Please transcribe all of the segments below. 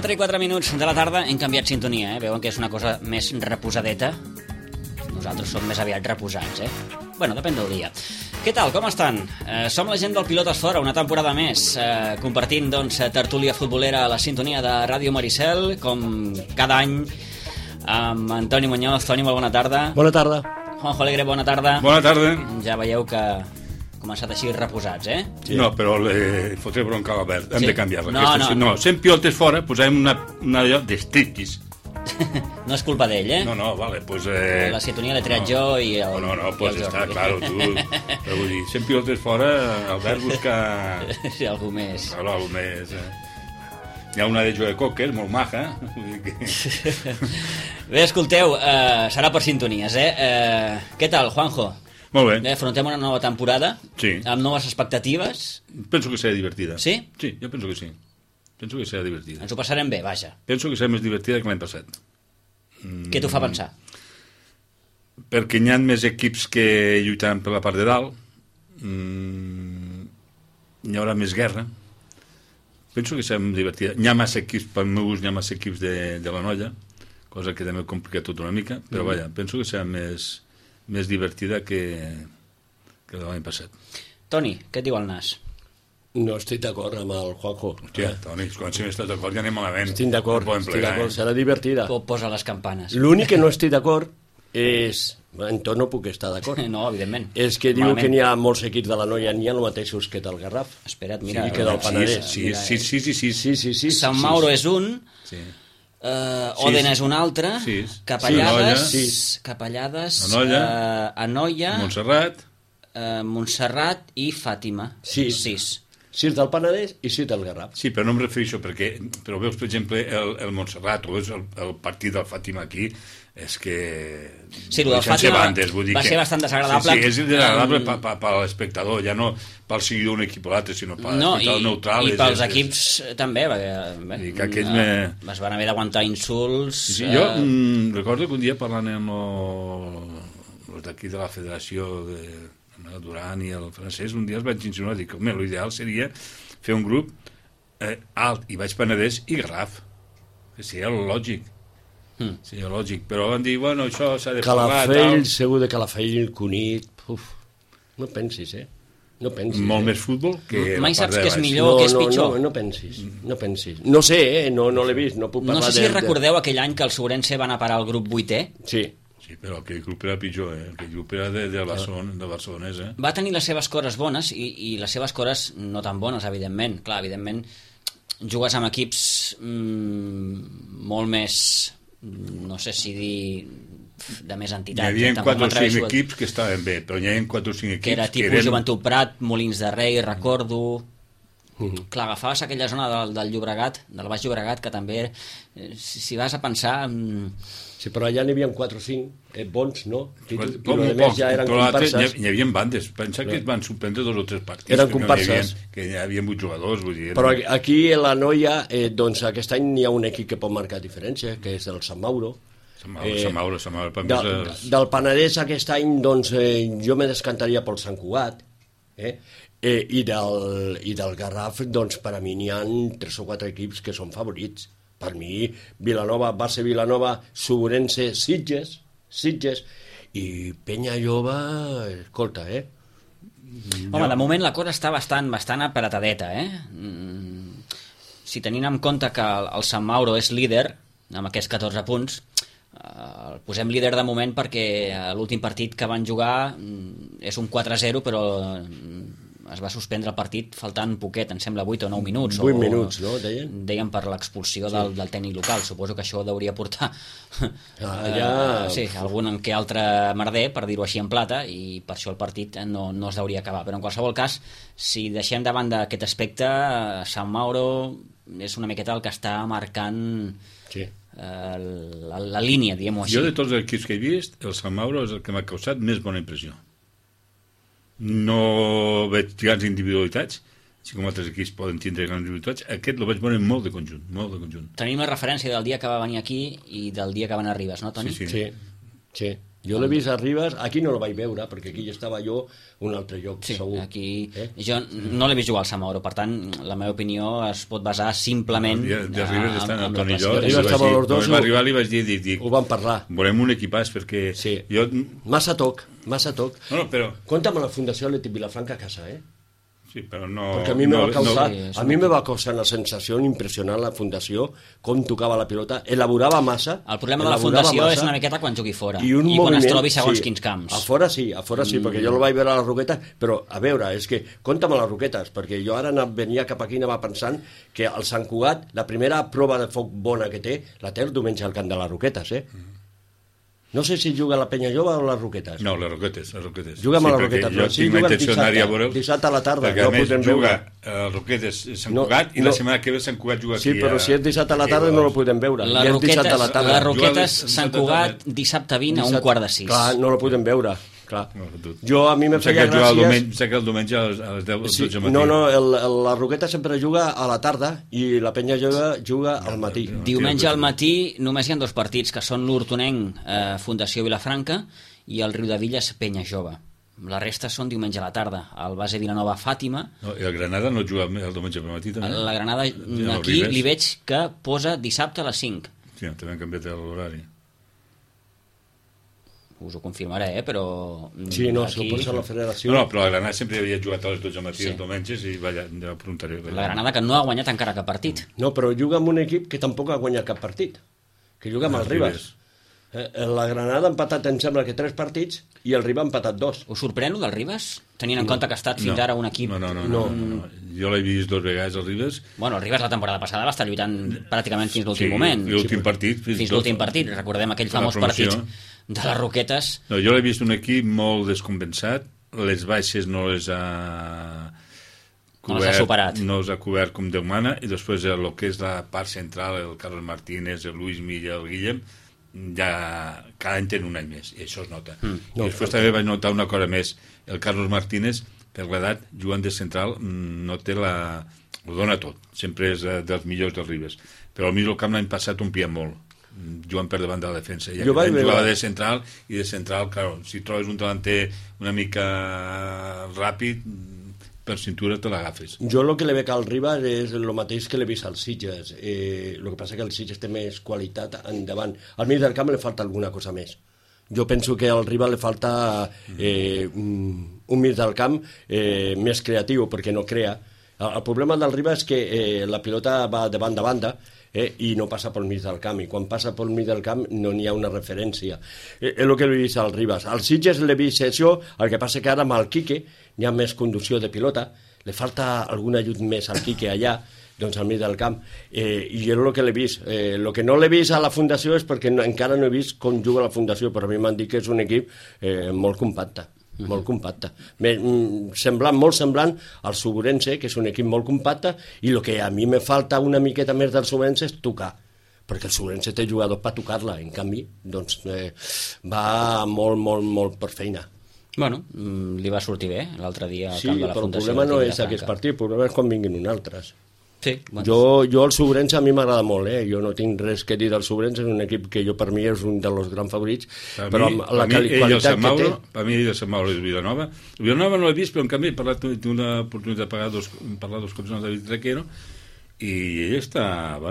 I 4 minuts de la tarda hem canviat sintonia, veuen que és una cosa més reposadeta. Nosaltres som més aviat reposats, Bueno, depèn del dia. Què tal, com estan? Som la gent del Pilotes Fora, una temporada més, compartint, doncs, tertúlia futbolera a la sintonia de Ràdio Maricel, com cada any, amb Antoni Muñoz. Toni, molt bona tarda. Bona tarda. Juanjo Alegre, bona tarda. Bona tarda. Ja veieu que començat així reposats, Sí. No, però le fotré bronca a l'Albert. Hem de canviar-la. No. Sent Pilotes Fora, posem una allò d'estriquis. No és culpa d'ell, No, vale, pues... La sintonia l'he triat jo i el... No, pues està, claro, tu... Però vull dir, sent Pilotes Fora, Albert busca... Sí, algú més. Claro, algú més... Hi ha una de Joe Cocker, molt maja. Bé, escolteu, serà per sintonies, Què tal, Juanjo? Molt bé. Afrontem una nova temporada, sí, amb noves expectatives. Penso que serà divertida. Sí? Sí, jo penso que sí. Penso que serà divertida. Ens ho passarem bé, vaja. Penso que serà més divertida que l'any passat. Què t'ho fa pensar? Perquè hi ha més equips que lluitaran per la part de dalt. Hi haurà més guerra. Penso que serà divertida. Hi ha massa equips, pel meu gust, hi ha massa equips de la Noia, cosa que també complica tot una mica, però vaja, penso que serà més divertida que l'any passat. Toni, què et diu el nas? No estic d'acord amb el Juanjo. Hòstia, Toni, quan si no estàs d'acord ja anem malament. Estic d'acord, serà divertida. Posa les campanes. L'únic que no estic d'acord és... En tot no puc estar d'acord. No, evidentment. És que diu que n'hi ha molts equips de la Noia, n'hi ha els mateixos que del Garraf. Espera't, mira. Sí, que del Penedès. Sí. Sant Mauro és un... Sí. Oden és un altre, Capellades, Anoia, Montserrat i Fàtima. 6 del Penedès i 6 del Garraf. Sí, però no em refereixo perquè, però veus, per exemple, el Montserrat o veus el partit del Fàtima aquí, és que... Sí, el del Fàtima va ser bastant desagradable. Sí, és desagradable per l'espectador, ja no pel seguidor d'un equip o l'altre, sinó per l'espectador neutral. I pels equips també, perquè es van haver d'aguantar insults. Jo recordo que un dia parlant amb els d'aquí de la federació el Duran i el francès, un dia els vaig insinuar, dic, home, l'ideal seria fer un grup alt i Baix Penedès i Garraf, que seria lògic. Seria lògic, però van dir, bueno, això s'ha de parlar... Calafell, segur de Calafell, Cunit... No pensis, No pensis. Molt més futbol que mai saps què és millor o què és pitjor. No pensis. No sé, no l'he vist, no puc parlar de... No sé si recordeu aquell any que el Sobrense van a parar al grup 8è. Sí, però aquell grup era pitjor, aquell grup era de Barcelonès, Va tenir les seves coses bones i les seves coses no tan bones, evidentment. Clar, evidentment, jugues amb equips molt més, no sé si dir, de més entitat. Hi havia 4 o 5 equips que estaven bé, però hi havia 4 o 5 equips que era tipus Joventut Prat, Molins de Rei, recordo... Clar, agafaves aquella zona del Llobregat, del Baix Llobregat, que també, si vas a pensar... Sí, però allà n'hi havia 4 o 5 bons, no? Ja eren comparses. Hi havia bandes, pensa que es van suspendre 2 o 3 partits. Eren comparses. Que hi havia 8 jugadors, vull dir... Però aquí a la Noia, doncs aquest any hi ha un equip que pot marcar diferència, que és el Sant Mauro. Sant Mauro, del Penedès aquest any, doncs, jo me descantaria pel Sant Cugat, i del Garraf, doncs, per a mi n'hi ha 3 o 4 equips que són favorits. Per mi, Vilanova, base Vilanova, Sobrense, Sitges i Penyalloba, escolta, Home, de moment la cosa està bastant apretadeta, Si tenim en compte que el Sant Mauro és líder, amb aquests 14 punts, el posem líder de moment perquè l'últim partit que van jugar és un 4-0, però es va suspendre el partit faltant poquet, em sembla 8 o 9 minuts. 8 minuts, no, deien? Deien per l'expulsió del tècnic local. Suposo que això hauria portar algun que altre merder, per dir-ho així en plata, i per això el partit no es deuria acabar. Però en qualsevol cas, si deixem de banda aquest aspecte, Sant Mauro és una miqueta el que està marcant la línia, diguem-ho així. Jo, de tots els equips que he vist, el Sant Mauro és el que m'ha causat més bona impressió. No veig grans individualitats, així com altres equips poden tindre grans individualitats. Aquest el vaig veure molt de conjunt, molt de conjunt. Tenim la referència del dia que va venir aquí i del dia que va anar a Ribes, no, Toni? Sí. Jo l'he vist a Ribes, aquí no el vaig veure, perquè aquí estava jo un altre lloc, segur. Aquí jo no l'he vist jugar al Sant Mauro, per tant, la meva opinió es pot basar simplement de Ribes estan el Toni i jo. Quan va arribar li vaig dir, ho vam parlar. Volem un equipàs, perquè jo... Massa toc. No, però... Compta'm a la Fundació Atlètic Vilafranca a casa, Sí, però no... Perquè a mi me va causar una sensació impressionant la Fundació, com tocava la pilota, elaborava massa... El problema de la Fundació és una miqueta quan jugui fora i quan es trobi segons quins camps. A fora sí, perquè jo el vaig veure a les Roquetes, però a veure, és que compta'm a les Roquetes, perquè jo ara venia cap aquí i anava pensant que el Sant Cugat, la primera prova de foc bona que té, la té el diumenge al camp de les Roquetes, No sé si juga a la Penya Jove o a les Roquetes. No, les Roquetes. Juguem a les Roquetes. Jo tinc la intenció d'anar a veure'l. Dissabte a la tarda. Perquè a més juga a Roquetes Sant Cugat i la setmana que ve Sant Cugat juga aquí. Sí, però si és dissabte a la tarda no el podem veure. Les Roquetes Sant Cugat dissabte 20 a 5:15. Clar, no el podem veure. Clar. Jo a mi me feia gràcies... Sé que el diumenge a les 10 del matí. No, la Roqueta sempre juga a la tarda i la Penya juga al matí. Diumenge al matí només hi ha 2 partits, que són l'Hortonenc Fundació Vilafranca i el Riudevilles Penya Jove. La resta són diumenge a la tarda. El base Vilanova Fàtima... I el Granada no juga el diumenge al matí, també? La Granada aquí li veig que posa dissabte a les 5. Sí, també han canviat l'horari. Us ho confirmaré, però... Sí, no, aquí... pot ser la federació... No, però la Granada sempre havia jugat a les 12 del matí els diumenges i ja preguntaré. La Granada que no ha guanyat encara cap partit. No, però juga amb un equip que tampoc ha guanyat cap partit, que juga amb el Ribes. La Granada ha empatat, em sembla que 3 partits i el Ribes ha empatat 2. Us sorprèn del Ribes? Tenint en compte que ha estat fins ara un equip... No. Jo l'he vist 2 vegades al Ribes. Bueno, el Ribes la temporada passada va estar lluitant pràcticament fins l'últim moment. L'últim partit. Fins l'últim partit. Recordem aquell famós partit de les Roquetes. No, jo l'he vist un equip molt descompensat. Les baixes no les ha superat. No les ha cobert com Déu mana, i després el que és la part central, el Carlos Martínez, el Luis Milla, el Guillem, ja cada any tenen un any més, i això es nota. I després també vaig notar una cosa més. El Carlos Martínez, per l'edat, jugant de central, no té ho dona tot. Sempre és dels millors dels Ribes. Però al mig del camp l'any passat omplia molt, jugant per davant de la defensa. I aquest any jugava de central, i de central, clar, si trobes un delanter una mica ràpid, per cintura te l'agafes. Jo el que li veig al Ribes és el mateix que l'he vist als Sitges. El que passa que el Sitges té més qualitat endavant. Al mig del camp li falta alguna cosa més. Jo penso que al Ribes li falta un mig del camp més creatiu, perquè no crea. El problema del Ribes és que la pilota va de banda a banda i no passa pel mig del camp, i quan passa pel mig del camp no n'hi ha una referència. És el que l'he vist al Ribes. Al Sitges l'he vist això, el que passa que ara amb el Quique n'hi ha més conducció de pilota, li falta algun ajut més al Quique allà, doncs al mig del camp, i és el que l'he vist. El que no l'he vist a la Fundació és perquè encara no he vist com juga la Fundació, però a mi m'han dit que és un equip molt compacte. Molt compacte, molt semblant al Suburense, que és un equip molt compacte, i el que a mi me falta una miqueta més del Suburense és tocar, perquè el Suburense té jugadors per tocar-la, en canvi doncs va molt per feina. Bueno, li va sortir bé l'altre dia al camp de la Fundació. Sí, però el problema no és aquest partit, el problema és quan vinguin uns altres. Sí, bueno. Jo el Suburense a mi m'agrada molt, jo no tinc res que dir del Suburense, és un equip que jo per mi és un dels grans favorits, però amb la qualitat que té... Per mi ell el Sant Mauro és Vilanova. Vilanova no l'he vist, però en canvi he tingut una oportunitat de parlar dos cops amb David Requero, i ell està,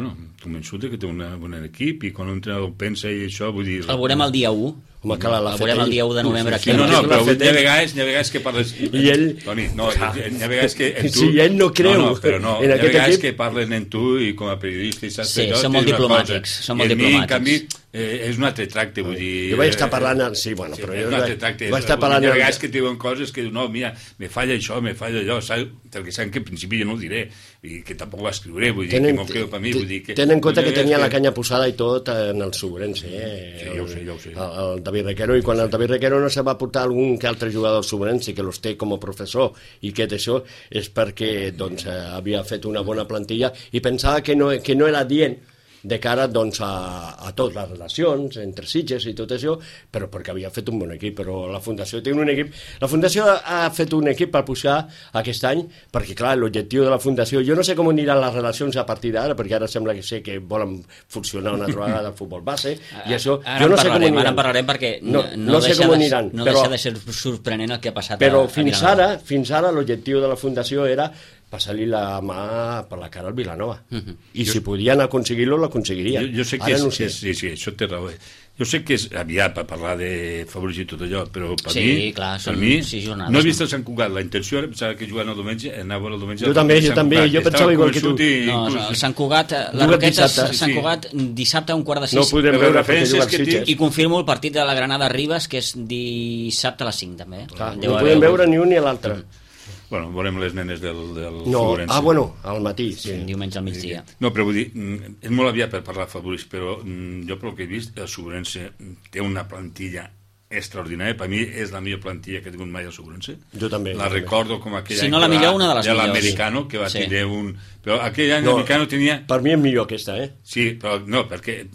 convençut que té un bon equip, i quan un entrenador pensa i això, vull dir... El veurem el dia 1. Home, clar, el veurem el dia 1 de novembre aquí. No, però hi ha vegades que parles... I ell... Toni, no, hi ha vegades que en tu... Si ell no creu hi ha vegades que parlen en tu i com a periodista i saps sí, són molt diplomàtics. En canvi, és un altre tracte, vull dir... Jo vaig estar parlant... Sí, bueno, però jo... És un altre tracte. Vaig estar parlant... Hi ha vegades que et diuen coses que, no, mira, me falla això, me falla allò, saps? Perquè saben que al principi jo no ho diré, i que tampoc ho escriuré, vull dir, que m'ho quedo per mi, vull dir que... Tenen en compte que tenia la canya posada i tot en el Subrense, Sí, ja ho sé. El David Requero, i quan el David Requero no se va portar algun que altre jugador del Subrense que los té com a professor i que això és perquè doncs, havia fet una bona plantilla i pensava que no era dient de cara doncs, a totes les relacions entre Sitges i tot això, però perquè havia fet un bon equip, però la Fundació té un equip. La Fundació ha fet un equip per pujar aquest any, perquè clar, l'objectiu de la Fundació, jo no sé com aniran les relacions a partir d'ara, perquè ara sembla que sé que volen funcionar una altra vegada al futbol base, i això, jo no sé com aniran. Ara en parlarem perquè no sé com aniran. No deixa de ser sorprenent el que ha passat però a Vilanova. fins ara l'objectiu de la Fundació era passar-li la mà per la cara al Vilanova. I si podien aconseguir-lo, l'aconseguirien. Jo sé que ara no sé. Sí, això té raó. Jo sé que és aviat per parlar de favoris i tot allò, però per mi, clar, per mi 6 jornades, no he vist el Sant Cugat. La intenció era pensar que jugant el diumenge, anava el diumenge... Jo també, jo pensava igual que tu. No, el Sant Cugat, les Roquetes, Sant Cugat, dissabte a 5:45. No podem veure perquè juga Sitges. I confirmo el partit de la Granada-Ribes, que és dissabte a les 5, també. No podem veure ni un ni l'altre. Bueno, veurem les nenes del Subrense. Al matí, sí. Diumenge al migdia. No, però vull dir, és molt aviat per parlar de favoris, però jo pel que he vist, el Subrense té una plantilla extraordinària. Per mi és la millor plantilla que he tingut mai al Subrense. Jo també. La recordo com aquell any no la millor, una de les millors. L'Americano, que va tindre un... Però aquell any l'Americano tenia... Per mi és millor aquesta, Sí, però no, perquè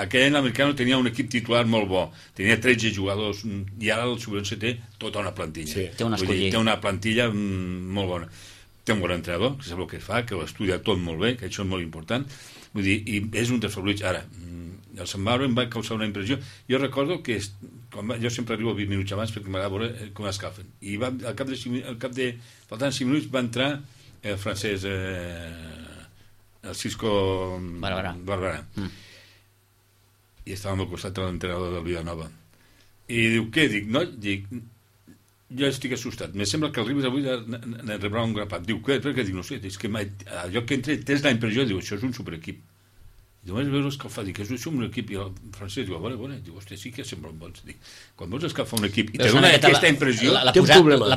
aquell any l'Americano tenia un equip titular molt bo. Tenia 13 jugadors i ara el Subrense té tota una plantilla. Sí. Té una plantilla molt bona. Té un bon entrenador, que sap el que fa, que ho estudia tot molt bé, que això és molt important. Vull dir, i és un dels favorits. Ara, el Sant Mauro em va causar una impressió. Jo recordo que jo sempre arribo 20 minuts abans perquè m'agrada veure com escalfen. I al cap de faltant 5 minuts va entrar el francès el Cisco Barberà. I estàvem al costat de l'entrenador del Vilanova. I diu, què? Dic, jo estic assustat. Me sembla que el Ribes avui rebrà un grapat. Diu, què? Dic, no sé, és que allò que entra tens la impressió, diu, això és un superequip. I vaig veure escalfar, dic, és un equip, i el francès diu, vale, diu, hòstia, sí que semblen bons. Dic, quan vols escalfar un equip i te dona aquesta impressió... La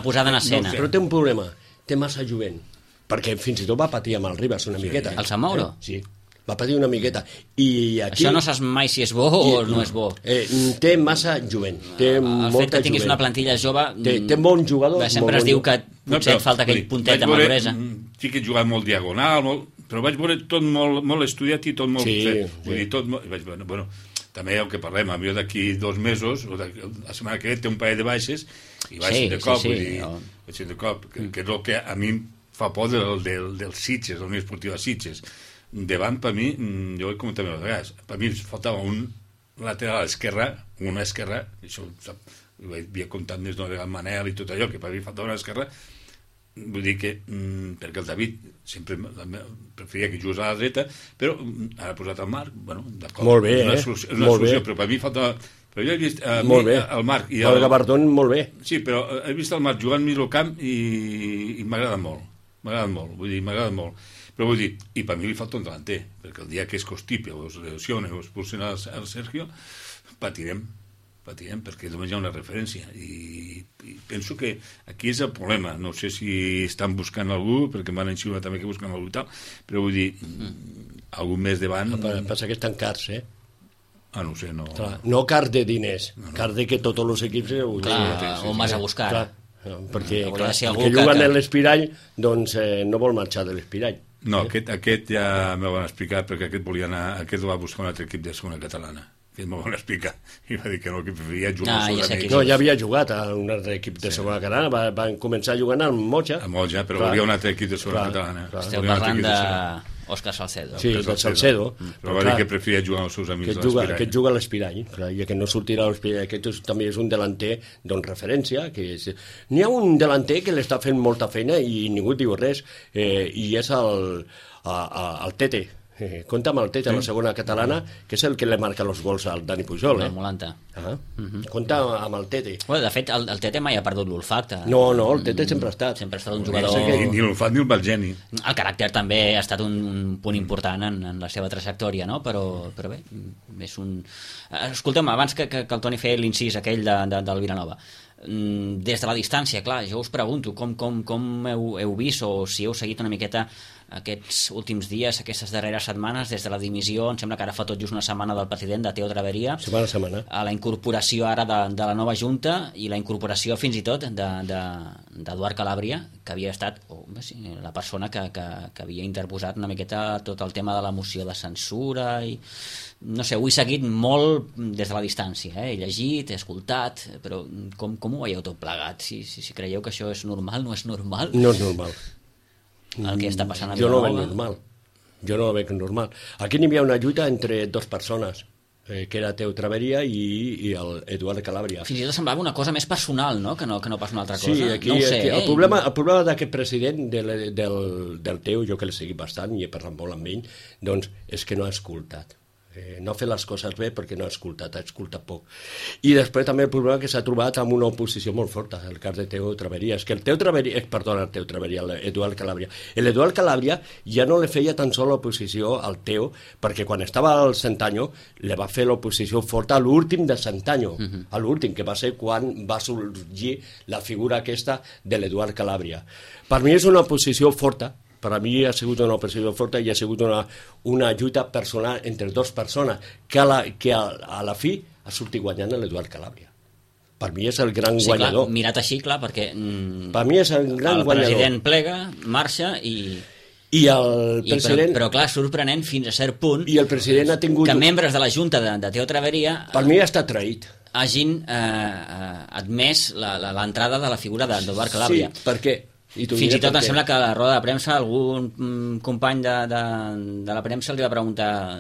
posada en escena. Però té un problema, té massa jovent, perquè fins i tot va patir amb el Ribas una miqueta. El Sant Mauro? Sí, va patir una miqueta. I aquí... Això no saps mai si és bo o no és bo. Té massa jovent, té molta jovent. El fet que tinguis una plantilla jove... Té bons jugadors. Sempre es diu que potser et falta aquell puntet de maduresa. Sí que he jugat molt diagonal, però vaig veure tot molt estudiat i tot molt fet. Vull dir, tot molt... Vaig veure, bueno, també el que parlem, jo d'aquí 2 mesos, o la setmana que ve té un parell de baixes, i vaig de cop, vaig de cop, que és el que a mi em fa por del Sitges, del Unió Esportiva Sitges. Davant, per mi, jo ho he comentat a vegades, per mi faltava un lateral esquerra, una esquerra, això ho havia comptat més d'una vegada Manel i tot allò, que per mi faltava una esquerra. Vull dir que, perquè el David sempre preferia que jugués a la dreta, però ara ha posat el Marc, bueno, d'acord, molt bé, és una solució, però per mi faltava... Però jo he vist el Marc i el Gabardón molt bé. Sí, però he vist el Marc jugant mig al camp i m'agrada molt, vull dir, m'agrada molt. Però vull dir, i per mi li falta un delanter, perquè el dia que es constipi o es lesione o es expulsen al Sergio, patirem, perquè només hi ha una referència i penso que aquí és el problema. No sé si estan buscant algú, perquè m'han enxivat també que busquen algú i tal, però vull dir, algú més davant... Passa que estan cars, no sé, no... Clar, no cars de diners, cars de que tots els equips... on vas a buscar? Perquè que juguen a l'Espirall, doncs no vol marxar de l'Espirall. No, aquest ja m'ho van explicar, perquè aquest va buscar un altre equip de segona catalana. Que m'ho van explicar, i va dir que no, que preferia jugar als seus amics. No, ja havia jugat a un altre equip de segona catalana, van començar jugant al Moja. A Moja, però hi havia un altre equip de segona catalana. Esteu parlant d'Òscar Salcedo. Sí, del Salcedo. Però va dir que preferia jugar als seus amics de l'Espirall. Aquest juga a l'Espirall, i que no sortirà a l'Espirall. Aquest també és un delanter, doncs, referència. N'hi ha un delanter que l'està fent molta feina i ningú diu res, i és el Tete. Compta amb el Tete a la segona catalana, que és el que li marca els gols al Dani Pujol. El Molanta. Compta amb el Tete. Bueno, de fet, el Tete mai ha perdut l'olfacte. No, el Tete sempre ha estat. Sempre ha estat un jugador... Ni l'olfat ni el mal geni. El caràcter també ha estat un punt important en la seva trajectòria, no? Però bé, és un... Escolta'm, abans que el Toni feia l'incís aquell del Vilanova, des de la distància, clar, jo us pregunto com heu vist o si heu seguit una miqueta aquests últims dies, aquestes darreres setmanes, des de la dimissió, em sembla que ara fa tot just una setmana del president de Teo Traveria, a la incorporació ara de la nova Junta i la incorporació fins i tot d'Eduard Calàbria, que havia estat la persona que havia interposat una miqueta tot el tema de la moció de censura i no sé, ho he seguit molt des de la distància, he llegit, he escoltat, però com ho veieu tot plegat? Si creieu que això és normal, no és normal? No és normal. El que està passant a Jo no ho veig Vilanova. normal. Jo no ho veig normal. Aquí n'hi havia una lluita entre dues persones, que era Teo Traveria i el Eduard Calàbria. Fins i tot semblava una cosa més personal, no? Que no pas una altra cosa. Sí, aquí, no ho sé, el problema d'aquest president del Teo, jo que l'he seguit bastant i he parlat molt amb ell, doncs és que no ha escoltat. No ha fet les coses bé perquè no ha escoltat poc. I després també el problema que s'ha trobat amb una oposició molt forta, el cas de Teo Traveria. És que l'Eduard Calàbria. L'Eduard Calàbria ja no li feia tan sols l'oposició al Teo, perquè quan estava al Centanyo li va fer l'oposició forta a l'últim de Centanyo, a l'últim, que va ser quan va sorgir la figura aquesta de l'Eduard Calàbria. Per mi és una oposició forta, per a mi ha sigut una oposició forta i ha sigut una lluita personal entre dues persones que a la fi ha sortit guanyant l'Eduard Calàbria. Per mi és el gran guanyador. Clar, mirat així, clar, perquè per mi és el gran guanyador. El president plega, marxa i el president... Però clar, sorprenent fins a cert punt i el president ha tingut... que membres de la Junta de Teo Traveria per mi ha estat traït. Hagin admès l'entrada de la figura d'Eduard Calàbria. Sí, per què? Fins i tot em sembla que a la roda de premsa algun company de la premsa li va preguntar: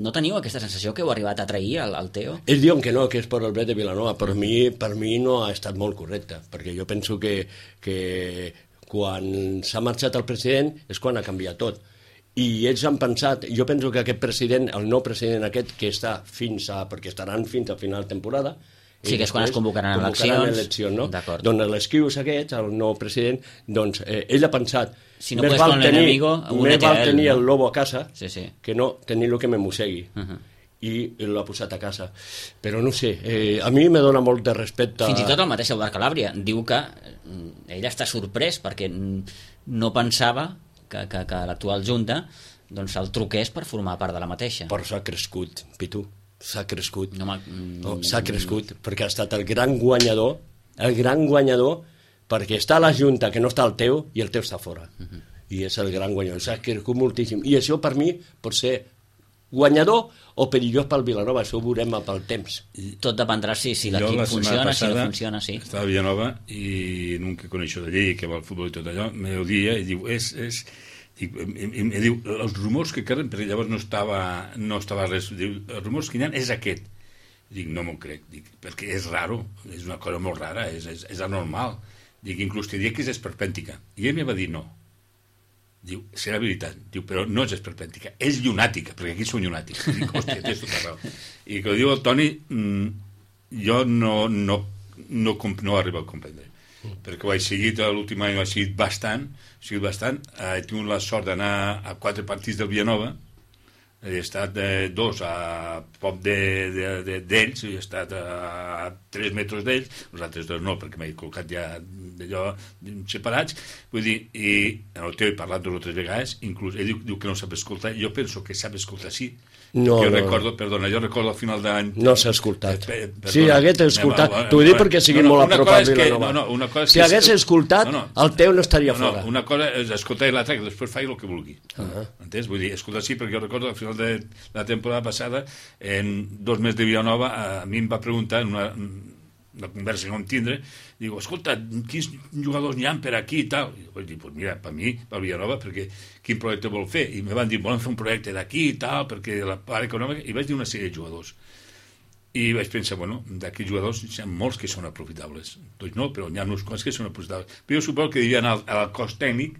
no teniu aquesta sensació que heu arribat a trair al Teo? Ells diuen que no, que és per el bé de Vilanova. Per mi no ha estat molt correcte, perquè jo penso que quan s'ha marxat el president és quan ha canviat tot. I ells han pensat, jo penso que aquest president, el nou president aquest, que està perquè estaran fins a final de temporada, sí, que és quan es convocaran eleccions, no? Doncs l'esquius aquest, el nou president, doncs ell ha pensat si no més val tenir el lobo a casa sí. que no tenir el que me mossegui. I l'ha posat a casa. Però no sé, a mi me dona molt de respecte... Fins i tot el mateix Eduard Calàbria diu que ell està sorprès perquè no pensava que l'actual Junta doncs el truqués per formar part de la mateixa. Però s'ha crescut, Pitu. S'ha crescut, s'ha crescut perquè ha estat el gran guanyador perquè està a la Junta que no està el Teo i el Teo està fora i és el gran guanyador, s'ha crescut moltíssim i això per mi pot ser guanyador o perillós pel Vilanova, això ho veurem pel temps. Tot dependrà si l'equip funciona, si no funciona, sí. Estava a Vilanova i un que coneixo d'allí, que va al futbol i tot allò, me ho dia i diu, i diu, els rumors que queden, perquè llavors no estava res, diu, els rumors que hi ha és aquest. Dic, no m'ho crec, perquè és raro, és una cosa molt rara, és anormal. Dic, inclús te diria que és esperpèntica. I ell me va dir no. Diu, serà veritat. Diu, però no és esperpèntica, és llunàtica, perquè aquí són llunàtics. Dic, hòstia, tens tota raó. I que ho diu el Toni, jo no arribo a comprendre. Perquè ho he seguit l'últim any, ho he seguit bastant, he tingut la sort d'anar a 4 partits del Vilanova, he estat 2 a prop d'ells, he estat a 3 metres d'ells, els altres 2 no, perquè m'he col·locat ja d'allò separats, vull dir, i el Teo he parlat 2 o 3 vegades, inclús ell diu que no sap escoltar, jo penso que sap escoltar, sí. Jo recordo al final d'any... No s'ha escoltat. Si hagués escoltat, t'ho dic perquè sigui molt apropat Vilanova. Si hagués escoltat, el Teo no estaria fora. Una cosa és escoltar i l'altra, que després faci el que vulgui. Entens? Vull dir, escoltar sí, perquè jo recordo al final de la temporada passada, en 2 mesos de Vilanova, a mi em va preguntar en una conversa que vam tindre, diu, escolta, quins jugadors n'hi ha per aquí i tal? I vaig dir, pues mira, per mi, per Vilanova, perquè quin projecte vol fer? I me van dir, volen fer un projecte d'aquí i tal, perquè la part econòmica, i vaig dir una sèrie de jugadors. I vaig pensar, bueno, d'aquests jugadors hi ha molts que són aprofitables. Doncs no, però n'hi ha uns quants que són aprofitables. Però jo suposo que devien al cos tècnic,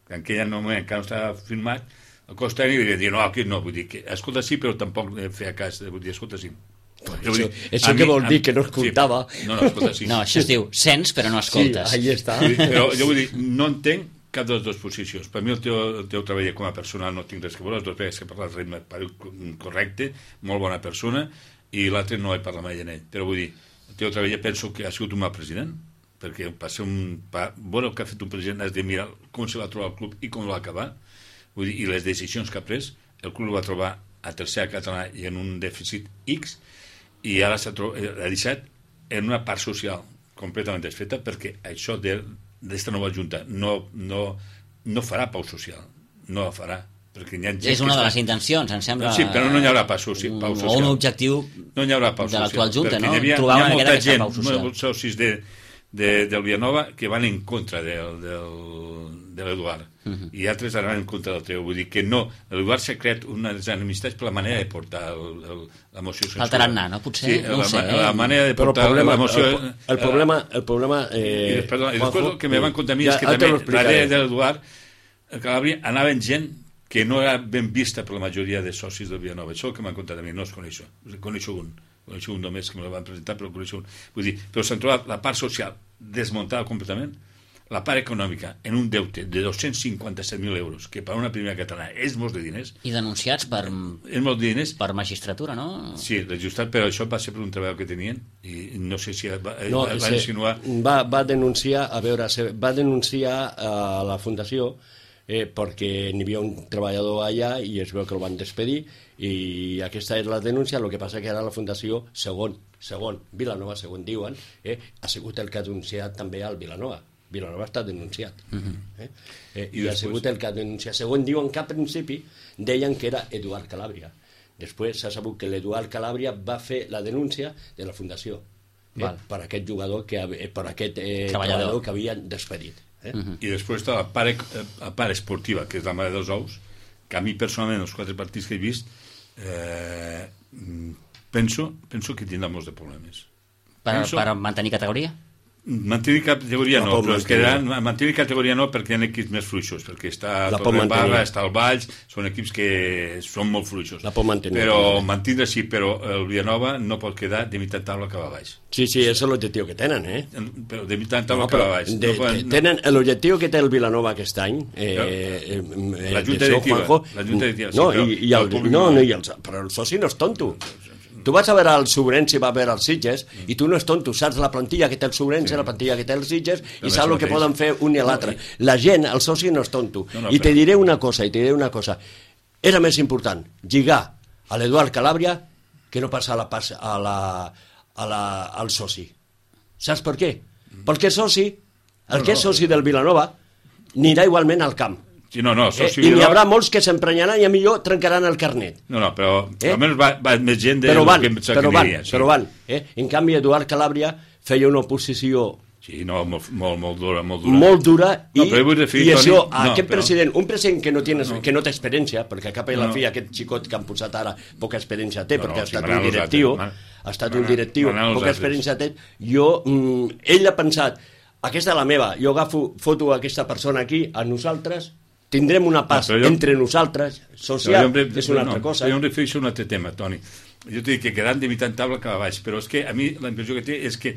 que en aquell moment encara no estava firmat, el cos tècnic devia dir, no, aquí no, vull dir, que escolta sí, però tampoc feia cas, vull dir, escolta sí. Això que vol dir que no escoltava. Sí. No, escolta, sí. No, això es diu sents però no escoltes. Sí, ahí està. Però jo vull dir, no entenc cap de les dues posicions. Per mi el teu treball com a persona no tinc res que veure, les dues vegades que parla el ritme correcte, molt bona persona, i l'altre no he parlat mai en ell. Però vull dir, el teu treball penso que ha sigut un mal president, perquè veure el que ha fet un president has de mirar com se va trobar el club i com va acabar, vull dir, i les decisions que ha pres, el club va trobar a tercera català i en un dèficit X, i ara ha deixat en una part social completament desfeta, perquè això d'esta nova junta no farà pau social, no la farà, perquè hi ha gent és una de les intencions, em sembla. Sí, però no hi haurà pau social. O un objectiu no hi haurà pau de l'actual junta, no? Hi ha molta gent, molts socis del Vilanova que van en contra de l'Eduard, i altres anaven en contra del teu. Vull dir que no, l'Eduard s'ha creat unes enemistats per la manera de portar la moció censura. El tarannà, no? Potser, sí, no ho sé. La manera de portar la moció... El problema I després el que me van contar a mi és que també darrere de l'Eduard Calàbria anaven gent que no era ben vista per la majoria de socis del Vilanova. Això és el que m'han contat a mi, no es coneixo. Coneixo un només que me la van presentar, però coneixo un. Vull dir, però s'han trobat la part social desmuntada completament, la part econòmica en un deute de 257.000 euros, que per una primera catalana és molts de diners. I denunciats per... És molts de diners. Per magistratura, no? Sí, registrat, però això va ser per un treball que tenien, i no sé si va insinuar... Va denunciar, va denunciar a la Fundació perquè n'hi havia un treballador allà i es veu que el van despedir, i aquesta és la denúncia. El que passa que ara la Fundació, segon Vilanova, segons diuen, ha sigut el que ha denunciat també al Vilanova. Vilanova està denunciat. I ha sigut el que ha denunciat. Segons diuen que a principi deien que era Eduard Calàbria. Després s'ha sabut que l'Eduard Calàbria va fer la denúncia de la Fundació per aquest jugador, per aquest treballador que havien despedit. I després està la part esportiva, que és la mare dels ous, que a mi personalment, els 4 partits que he vist, penso que tindrà molts de problemes. Per mantenir categoria? Mantenir categoria no, però es quedaran, mantenir categoria no, perquè hi ha equips més fluixos, perquè està Torredembarra, està el Valls, són equips que són molt fluixos. La pot mantenir. Però mantindre sí, però el Vilanova no pot quedar de mitad taula cap a baix. Sí, això és l'objectiu que tenen, Però de mitad taula cap a baix. Tenen l'objectiu que té el Vilanova aquest any, la Junta Directiva. Però el soci no és tonto. Tu vas a veure el Sobrense, va a veure els Sitges, i tu no és tonto, saps la plantilla que té el Sobrense, la plantilla que té els Sitges, i saps el que poden fer un i l'altre. La gent, el soci no és tonto. I te diré una cosa, era més important lligar a l'Eduard Calàbria que no passar al soci. Saps per què? Perquè el que és soci del Vilanova, anirà igualment al camp. Sí, no, i n'hi haurà molts que s'emprenyaran i a millor trencaran el carnet. No, però almenys va més gent però van. En canvi, Eduard Calàbria feia una oposició molt dura. Molt dura, i això, aquest president, un president que no té experiència, perquè a cap i a la fi aquest xicot que han posat ara poca experiència té, perquè ha estat un directiu, poca experiència té, ell ha pensat, aquesta és la meva, jo foto aquesta persona aquí, a nosaltres, tindrem una pas entre nosaltres, social, és una altra cosa. Jo em refereixo a un altre tema, Toni. Jo t'he dit que quedant de mitad taula cap a baix, però és que a mi la impressió que té és que,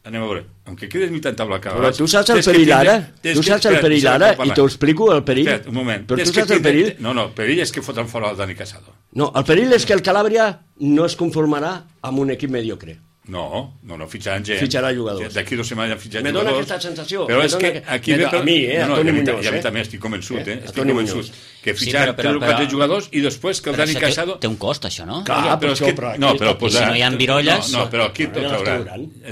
anem a veure, aunque quedes mitad taula cap a baix... Però tu saps el perill ara? Tu saps el perill ara? I t'ho explico, el perill? Espera, un moment. Però tu saps el perill? No, el perill és que fotran fora el Dani Casado. No, el perill és que el Calàbria no es conformarà amb un equip mediocre. No, fitxaran gent. Fitxarà jugadors. D'aquí 2 setmanes han fitxat jugadors. Me dona aquesta sensació. Però és que aquí ve... A mi, a Toni Muñoz. I a mi també estic convençut, estic convençut. Que fitxaran 3 o 4 jugadors i després que el Dani Casado... Té un cost, això, no? Clar, però és que... I si no hi ha virolles... No, però aquí el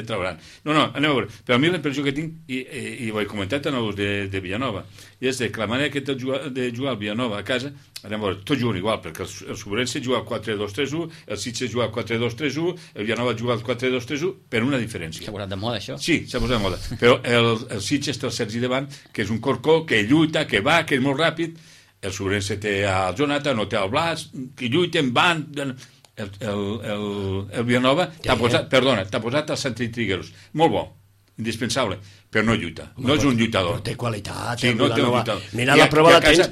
trauran. No, anem a veure. Però a mi la impressió que tinc, i ho he comentat en els de Villanova, és que la manera que té de jugar el Villanova a casa, anem a veure, tots juguen igual, perquè el Sobrense juga al 4-2-3-1, el Sitges juga al 4-2-3-1, el Villanova juga al 4-2-3-1, per una diferència. S'ha posat de moda, això? Sí, s'ha posat de moda. Però el Sitges té el Sergi davant, que és un corcó, que lluita, que va, que és molt ràpid. El Sobrense té el Jonathan, no té el Blas, que lluiten, van... El Villanova t'ha posat el Santi Trigueros. Molt bo, indispensable, però no lluita. No és un lluitador. Però té qualitat. Sí, no té un lluitador. Mira, la prova la tens... I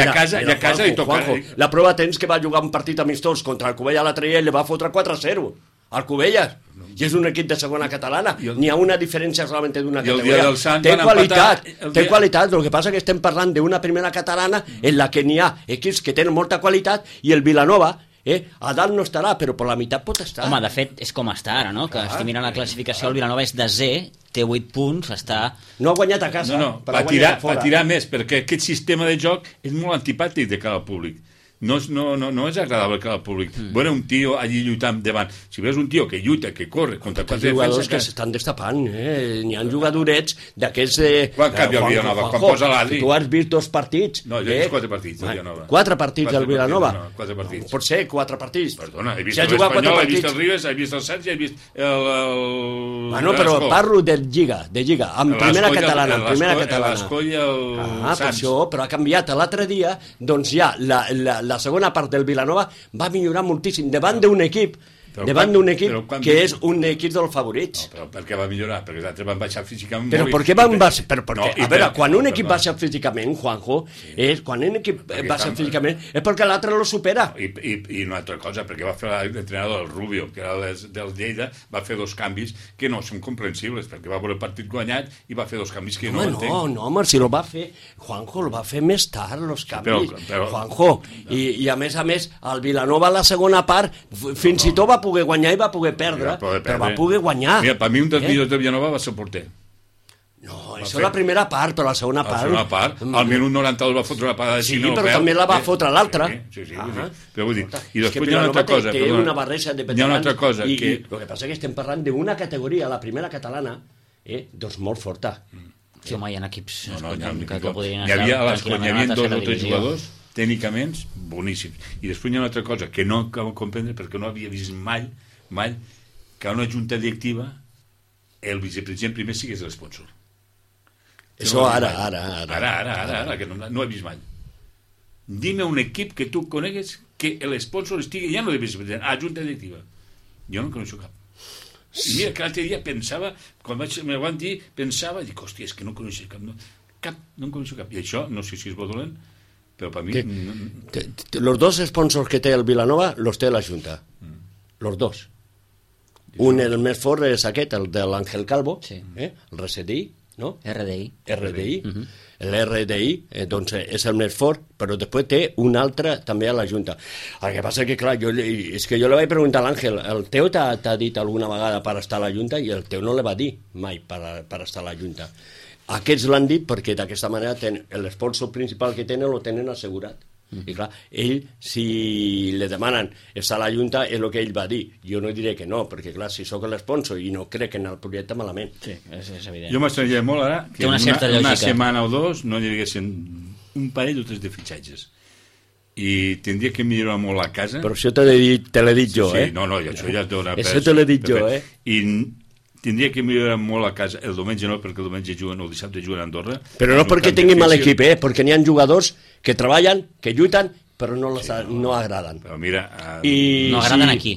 a casa li toca... La prova tens que va jugar un partit amistós contra el Covella l'altre dia i li va fotre 4-0 Alcobendas. I és un equip de segona catalana. N'hi ha una diferència solament d'una categoria. Del Sant té van qualitat, empatar té qualitat. El que passa que estem parlant d'una primera catalana en la que n'hi ha equips que tenen molta qualitat i el Vilanova a dalt no estarà, però per la meitat pot estar. Home, de fet, és com està ara, no? Que estic mirant la classificació, el Vilanova és desè, té 8 punts, està... No ha guanyat a casa, va tirar més, perquè aquest sistema de joc és molt antipàtic de cara al públic. No és agradable que al públic. Veure un tio allí lluitant davant. Si veus un tio que lluita, que corre contra quatre jugadors que s'estan destapant, N'hi ha jugadorets d'aquests... Quan canvia el Vilanova? Quan posa l'Adri? Tu has vist 2 partits. No, jo he vist 4 partits del Vilanova. 4 partits del Vilanova? 4 partits. Pot ser 4 partits. Perdona, he vist l'Espanyol, he vist el Ribes, he vist el Sánchez, he vist el... Bueno, però parlo de Lliga, amb primera catalana. L'Escó i el Sánchez. Però ha canviat. L'altre dia, doncs ja, la segona part del Vilanova va millorar moltíssim davant d'un equip que és un equip dels favorits. No, però per què va millorar? Perquè els altres van baixar físicament però per què van baixar? A veure, quan un equip baixa físicament, Juanjo, quan un equip baixa físicament és perquè l'altre lo supera. I una altra cosa, perquè va fer l'entrenador, el Rubio, que era del Lleida, va fer 2 canvis que no són comprensibles, perquè va veure el partit guanyat i va fer 2 canvis que no entenc. No, home, si lo va fer, Juanjo, el va fer més tard, els canvis. Juanjo, i a més, el Vilanova a la segona part, fins i tot va poder guanyar i va poder perdre, però va poder guanyar. Mira, per mi un dels millors de Vilanova va ser el porter. No, això és la primera part, però la segona part... La segona part, al minut 92 va fotre la parada de Sí, però també la va fotre l'altra. Sí, però vull dir... I després hi ha una altra cosa... Té una barreja de veterans... Hi ha una altra cosa que... El que passa és que estem parlant d'una categoria, la primera catalana, doncs molt forta. Sí, home, hi ha equips que podrien estar... Hi havia 2 o 3 jugadors tècnicament boníssims. I després hi ha una altra cosa que no acabo de comprendre perquè no havia vist mai que una junta directiva el vicepresident primer sigués l'esponsor. Això ara, que no ho he vist mai. Dime un equip que tu conegues que l'esponsor estigui ja no de vicepresident, a junta directiva. Jo no coneixo cap. I mira que l'altre dia pensava, quan me van dir, dic, hòstia, és que no coneixo cap. No en coneixo cap. I això, no sé si és bo dolent, però per mi... Los 2 sponsors que té el Vilanova los té la Junta. Los 2. Un, el més fort, és aquest, el de l'Àngel Calvo, el RCDI, no? RDI. L'RDI, doncs, és el més fort, però després té un altre també a la Junta. El que passa que, clar, és que jo li vaig preguntar a l'Àngel, el teu t'ha dit alguna vegada per estar a la Junta i el teu no li va dir mai per estar a la Junta. Aquests l'han dit perquè d'aquesta manera l'esponsor principal que tenen lo tenen assegurat. I clar, ell, si li demanen estar a la Junta, és el que ell va dir. Jo no diré que no, perquè clar, si sóc l'esponsor i no crec en el projecte, malament. Sí, és evident. Jo m'estranyaria molt ara que una setmana o 2 no hi haguessin un parell o 3 de fitxatges. I tindria que millorar molt la casa. Però això te l'he dit jo, Sí, no, això ja et dona... Això te l'he dit jo, I tindria que millorar molt la casa. El diumenge no, perquè el diumenge juguen, el dissabte juguen a Andorra. Però no perquè tinguin mal equip, perquè n'hi ha jugadors que treballen, que lluiten, però no agraden. Però mira... No agraden aquí?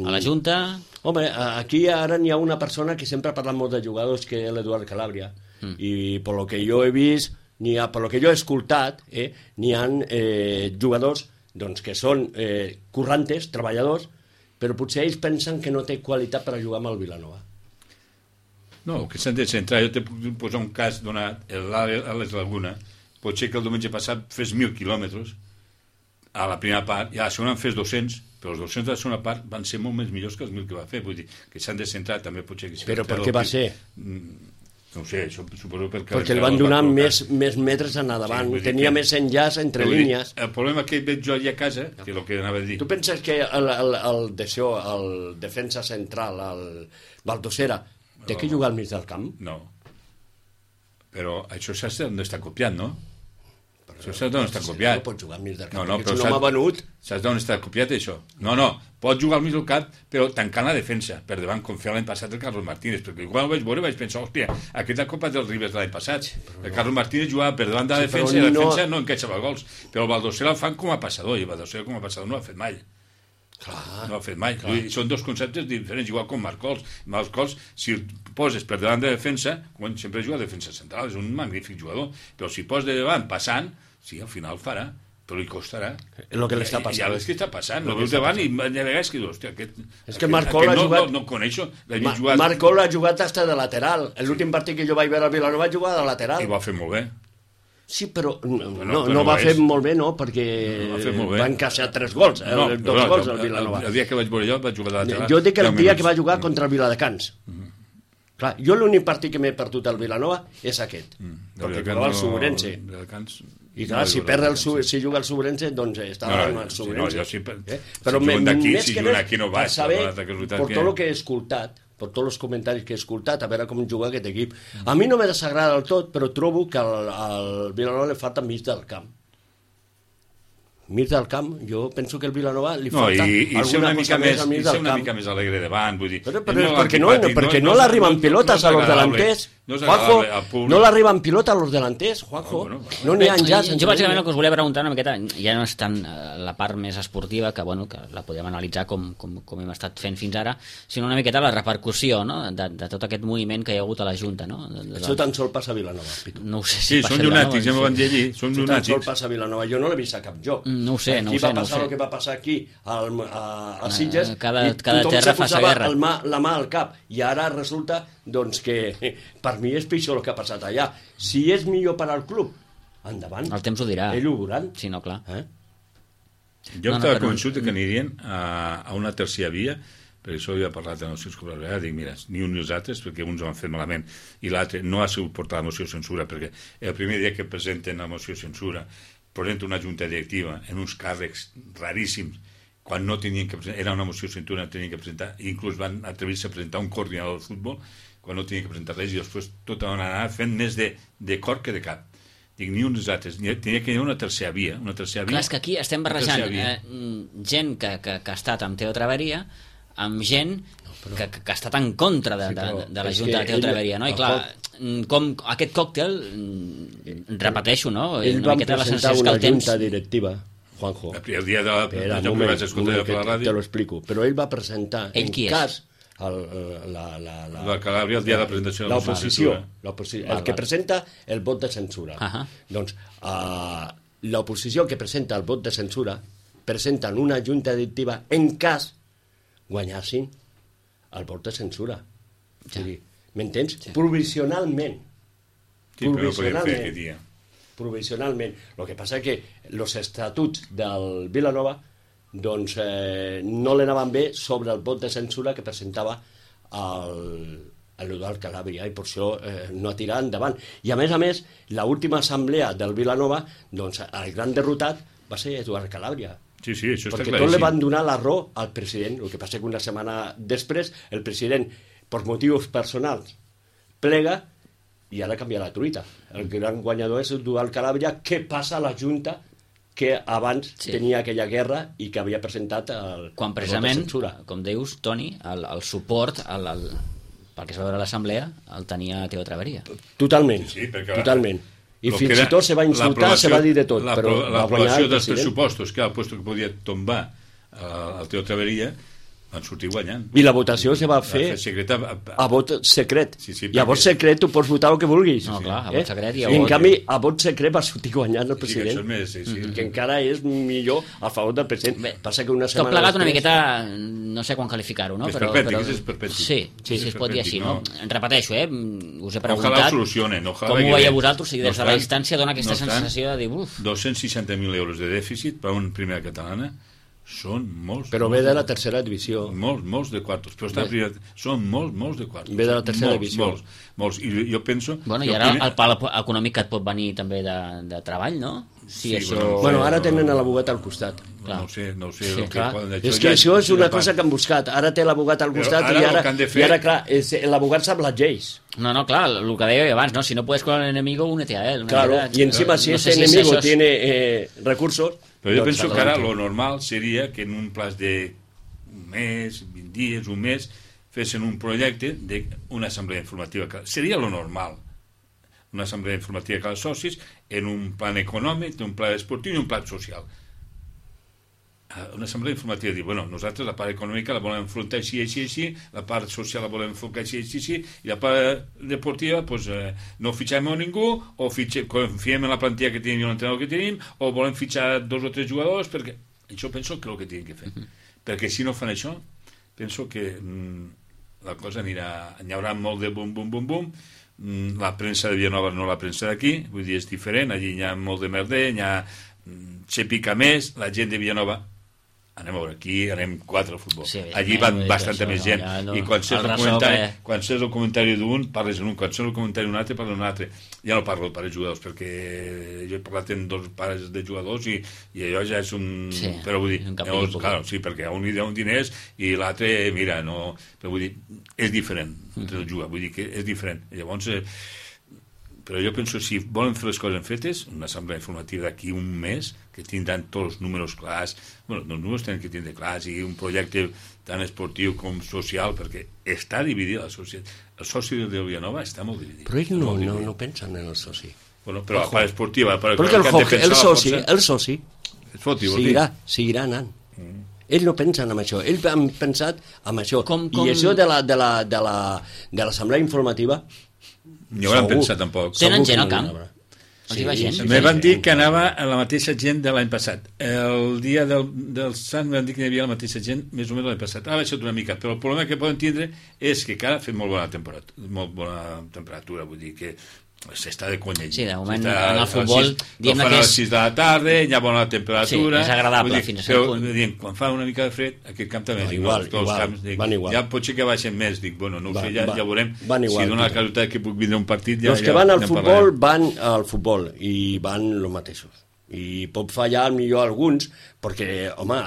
A la Junta? Home, aquí ara n'hi ha una persona que sempre ha parlat molt de jugadors, que és l'Eduard Calabria. I per lo que jo he vist, per lo que jo he escoltat, n'hi ha jugadors doncs, que són currantes, treballadors, però potser ells pensen que no té qualitat per a jugar amb el Vilanova. No, que s'han de centrar. Jo t'he posat un cas donat, a les Laguna. Pot ser que el diumenge passat fes 1.000 quilòmetres a la primera part, i a la segona en fes 200, però els 200 de la segona part van ser molt més millors que els 1.000 que va fer. Vull dir, que s'han de centrar també potser... Però per què va ser? No ho sé, suposo perquè el van donar més metres en endavant, tenia més enllaç entre línies. El problema que veig jo allà a casa, que és el que anava a dir... Tu penses que el defensa central, el Baldosera, té que jugar al mig del camp? No. Però això saps d'on està copiat, no? Això saps d'on està copiat. No pot jugar al mig del camp, perquè si no m'ha venut... Saps d'on està copiat, això? No, pot jugar al mig del camp, però tancant la defensa, per davant, com feia l'any passat el Carlos Martínez, perquè quan ho vaig veure vaig pensar, hòstia, aquesta Copa dels Ribes de l'any passat, el Carlos Martínez jugava per davant de la defensa i la defensa no encaixava gols, però el Baldosera el fan com a passador, i el Baldosera com a passador no ho ha fet mai. No ho ha fet mai. Són 2 conceptes diferents, igual com Marcols. Marcols, si el poses per davant de defensa, quan sempre juga a defensa central, és un magnífic jugador, però si poses de davant passant, sí, al final farà. però li costarà. El que li està passant. Ja és que està passant, el veus davant i de vegades que dius, hòstia, és que Marcol ha jugat... No coneixo, Marcol ha jugat hasta de lateral. L'últim partit que jo vaig veure al Vilanova va jugar de lateral. I va fer molt bé. Sí, però no va fer molt bé, no, perquè va encaixar 3 gols, 2 gols al Vilanova. El dia que vaig veure jo vaig jugar de lateral. Jo dic que el dia que va jugar contra el Viladecans. Clar, jo l'únic partit que m'he perdut al Vilanova és aquest, perquè jugava el Subrense. I clar, si juga el Subrense, doncs estava en el Subrense. Però més que res, per saber, per tot el que he escoltat, per tots els comentaris que he escoltat, a veure com juga aquest equip. A mi no me desagrada del tot, però trobo que al Vilanova li falta mig del camp. Mig del camp, jo penso que el Vilanova li falta alguna cosa més al mig del camp. I ser una mica més alegre davant, vull dir... Però perquè no l'arriben pilotes a los delantés, Juanjo, no l'arriben pilota a los delantés, Juanjo, no n'hi ha ja. Jo bàsicament el que us volia preguntar una miqueta, ja no és tant la part més esportiva, que bueno, que la podem analitzar com hem estat fent fins ara, sinó una miqueta la repercussió, no?, de tot aquest moviment que hi ha hagut a la Junta, no? Això tan sol passa a Vilanova, Pitu. No ho sé si passa a Vilanova. Sí, són llunàtics, ja m'ho van dir allí, són llunàtics. Tan sol passa a Vilanova, jo no l'he vist a cap lloc. No ho sé, no ho sé. Aquí va passar el que va passar aquí a Sitges, cada i tothom terra se fa sa guerra. la mà al cap, i ara resulta doncs que per mi és pitjor el que ha passat allà. Si és millor per al club, endavant. El temps ho dirà. Ell ho veuran. Sí, no, clar. Jo estava convençut que anirien a una tercera via, perquè això havia parlat amb els seus col·legues, dic, mira, ni un ni els altres, perquè uns ho han fet malament, i l'altre no ha sigut portar la moció de censura, perquè el primer dia que presenten la moció de censura, presenten una junta directiva en uns càrrecs raríssims, quan no tenien que presentar, era una moció de censura, tenien que presentar, i inclús van atrevir-se a presentar un coordinador del futbol, quan no tenien que presentar res, i després tot van anar fent més de cor que de cap. Dic, ni uns altres, tenia que hi ha una tercera via. Clar, és que aquí estem barrejant gent que ha estat amb Teo Traveria amb gent que ha estat en contra de la Junta de Teo Traveria, no? I clar, com aquest còctel, repeteixo, no? Ell va presentar una junta directiva, Juanjo. El dia de la te lo explico. Però ell va presentar, en cas... la Calàbria, el dia de la presentació de l'oposició, el que presenta el vot de censura. Doncs l'oposició que presenta el vot de censura presenten una junta directiva en cas guanyassin el vot de censura. M'entens? Provisionalment. Provisionalment. El que passa és que els estatuts del Vilanova doncs no l'anaven bé sobre el vot de censura que presentava l'Eduard Calàbria, i per això no ha tirat endavant. I a més, l'última assemblea del Vilanova, doncs el gran derrotat va ser Eduard Calàbria. Sí, això està perquè tot li van donar la raó al president. El que passa que una setmana després el president, per motius personals, plega i ara canvia la truita. El gran guanyador és Eduard Calàbria, que passa a la Junta que abans tenia aquella guerra i que havia presentat quan precisament, com dius, Toni, el suport pel que es va veure a l'assemblea el tenia Teo Traveria. Totalment, totalment. I fins i tot se va insultar, se va dir de tot. L'aprovació dels pressupostos, que era el lloc que podia tombar el Teo Traveria, van sortir guanyant. I la votació se va fer a vot secret. I a vot secret tu pots votar el que vulguis. No, clar, a vot secret i a vot... I en canvi, a vot secret va sortir guanyant el president. Sí, que encara és millor a favor del president. Passa que una setmana... Tot plegat una miqueta, no sé quan qualificar-ho, no? És perpètic. Sí, es pot dir així, no? Repeteixo, us he preguntat... Ojalà ho solucionen. Com ho veieu vosaltres? Des de la distància dona aquesta sensació de dir... 260.000 euros de dèficit per una primera catalana són molts. Però ve de la tercera divisió. Molts de quartos. Però són molts de quartos. Ve de la tercera divisió. Molts. I jo penso... Bueno, i ara el pal econòmic que et pot venir també de treball, no? Sí, bueno, ara tenen l'abogat al costat. No ho sé. És que això és una cosa que han buscat. Ara té l'abogat al costat i ara, clar, l'abogat sap les lleis. No, clar, el que deia abans, no? Si no puedes con el enemigo, únete a él. Claro, y encima si ese enemigo tiene recursos... Però jo penso que ara lo normal seria que en un plaç d'un mes, 20 dies, un mes, fessin un projecte d'una assemblea informativa. Seria lo normal. Una assemblea informativa cada socis en un plan econòmic, un plan esportiu i un plan social. una assemblea informativa, dir, bueno, nosaltres la part econòmica la volem enfrontar així, la part social la volem enfocar així, i la part deportiva, pues, no fitxem a ningú, o confiem en la plantilla que tenim i l'entrenador que tenim, o volem fitxar 2 o 3 jugadors, perquè això penso que és el que tenen que fer. Perquè si no fan això, penso que la cosa anirà... Hi haurà molt de bum, la premsa de Vilanova no la premsa d'aquí, vull dir, és diferent, allí hi ha molt de merder, hi ha xepica més, la gent de Vilanova anem a veure, aquí anem 4 al futbol. Sí, allí van bastanta més gent. I quan saps el comentari d'un, parles en un. Quan saps el comentari d'un altre, parles en un altre. Ja no parlo de pares jugadors, perquè jo he parlat amb 2 pares de jugadors i allò ja és un... Sí, però vull dir, llavors, claro, sí, perquè a un li deuen diners i l'altre, mira, no... Però vull dir, és diferent entre el jugar, vull dir que és diferent. Llavors... però jo penso, si volen fer les coses fetes, una assemblea informativa d'aquí un mes, que tindran tots els números clars, bueno, els números tenen que tindre clars, i un projecte tant esportiu com social, perquè està dividida la societat. El soci de Vilanova està molt dividit. Però ells no pensen en el soci. Bueno, però la part esportiva... Perquè el soci seguirà anant. Ells no pensen en això, ells han pensat en això. I això de l'assemblea informativa... Ni hauran pensat tampoc. Tenen gent al camp? Sí, me van dir que anava la mateixa gent de l'any passat. El dia del Sant van dir que hi havia la mateixa gent més o menys l'any passat. Ha baixat una mica, però el problema que poden tindre és que encara ha fet molt bona temperatura, vull dir que s'està de conya. Sí, de moment en el futbol diem que és... a les 6 de la tarda, hi ha bona temperatura. Sí, és agradable fins a cert punt. Quan fa una mica de fred, aquest camp també és igual. Ja potser que baixen més, dic, bueno, no ho sé, ja veurem si dona la casualitat que puc vindre un partit. Els que van al futbol van al futbol i van els mateixos. I pot fallar millor alguns, perquè, home,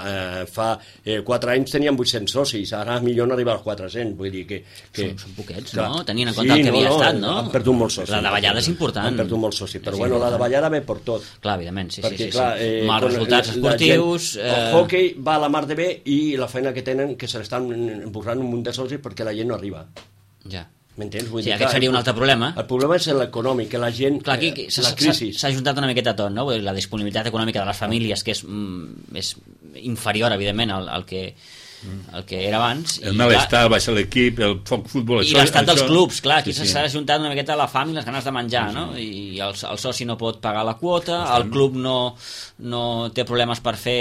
fa 4 anys tenien 800 socis, ara millor no arriba als 400, vull dir que... Són poquets, no? Tenint en compte el que havia estat, no? Han perdut molts socis. La davallada és important. Han perdut molts socis, però bueno, la davallada ve per tot. Clar, evidentment, sí. Mals resultats esportius... El hockey va a la mar de bé i la feina que tenen, que se l'estan empujant un munt de socis perquè la gent no arriba. Ja. M'entens? Sí, aquest seria un altre problema. El problema és l'econòmic, que la gent... Clar, aquí la crisi... s'ha ajuntat una miqueta tot, no? La disponibilitat econòmica de les famílies, que és inferior, evidentment, al que era abans. El malestar, baixa l'equip, el futbol... I l'estat dels clubs, clar, aquí s'ha ajuntat una miqueta la fam i les ganes de menjar, no? I el soci no pot pagar la quota, el club no té problemes per fer...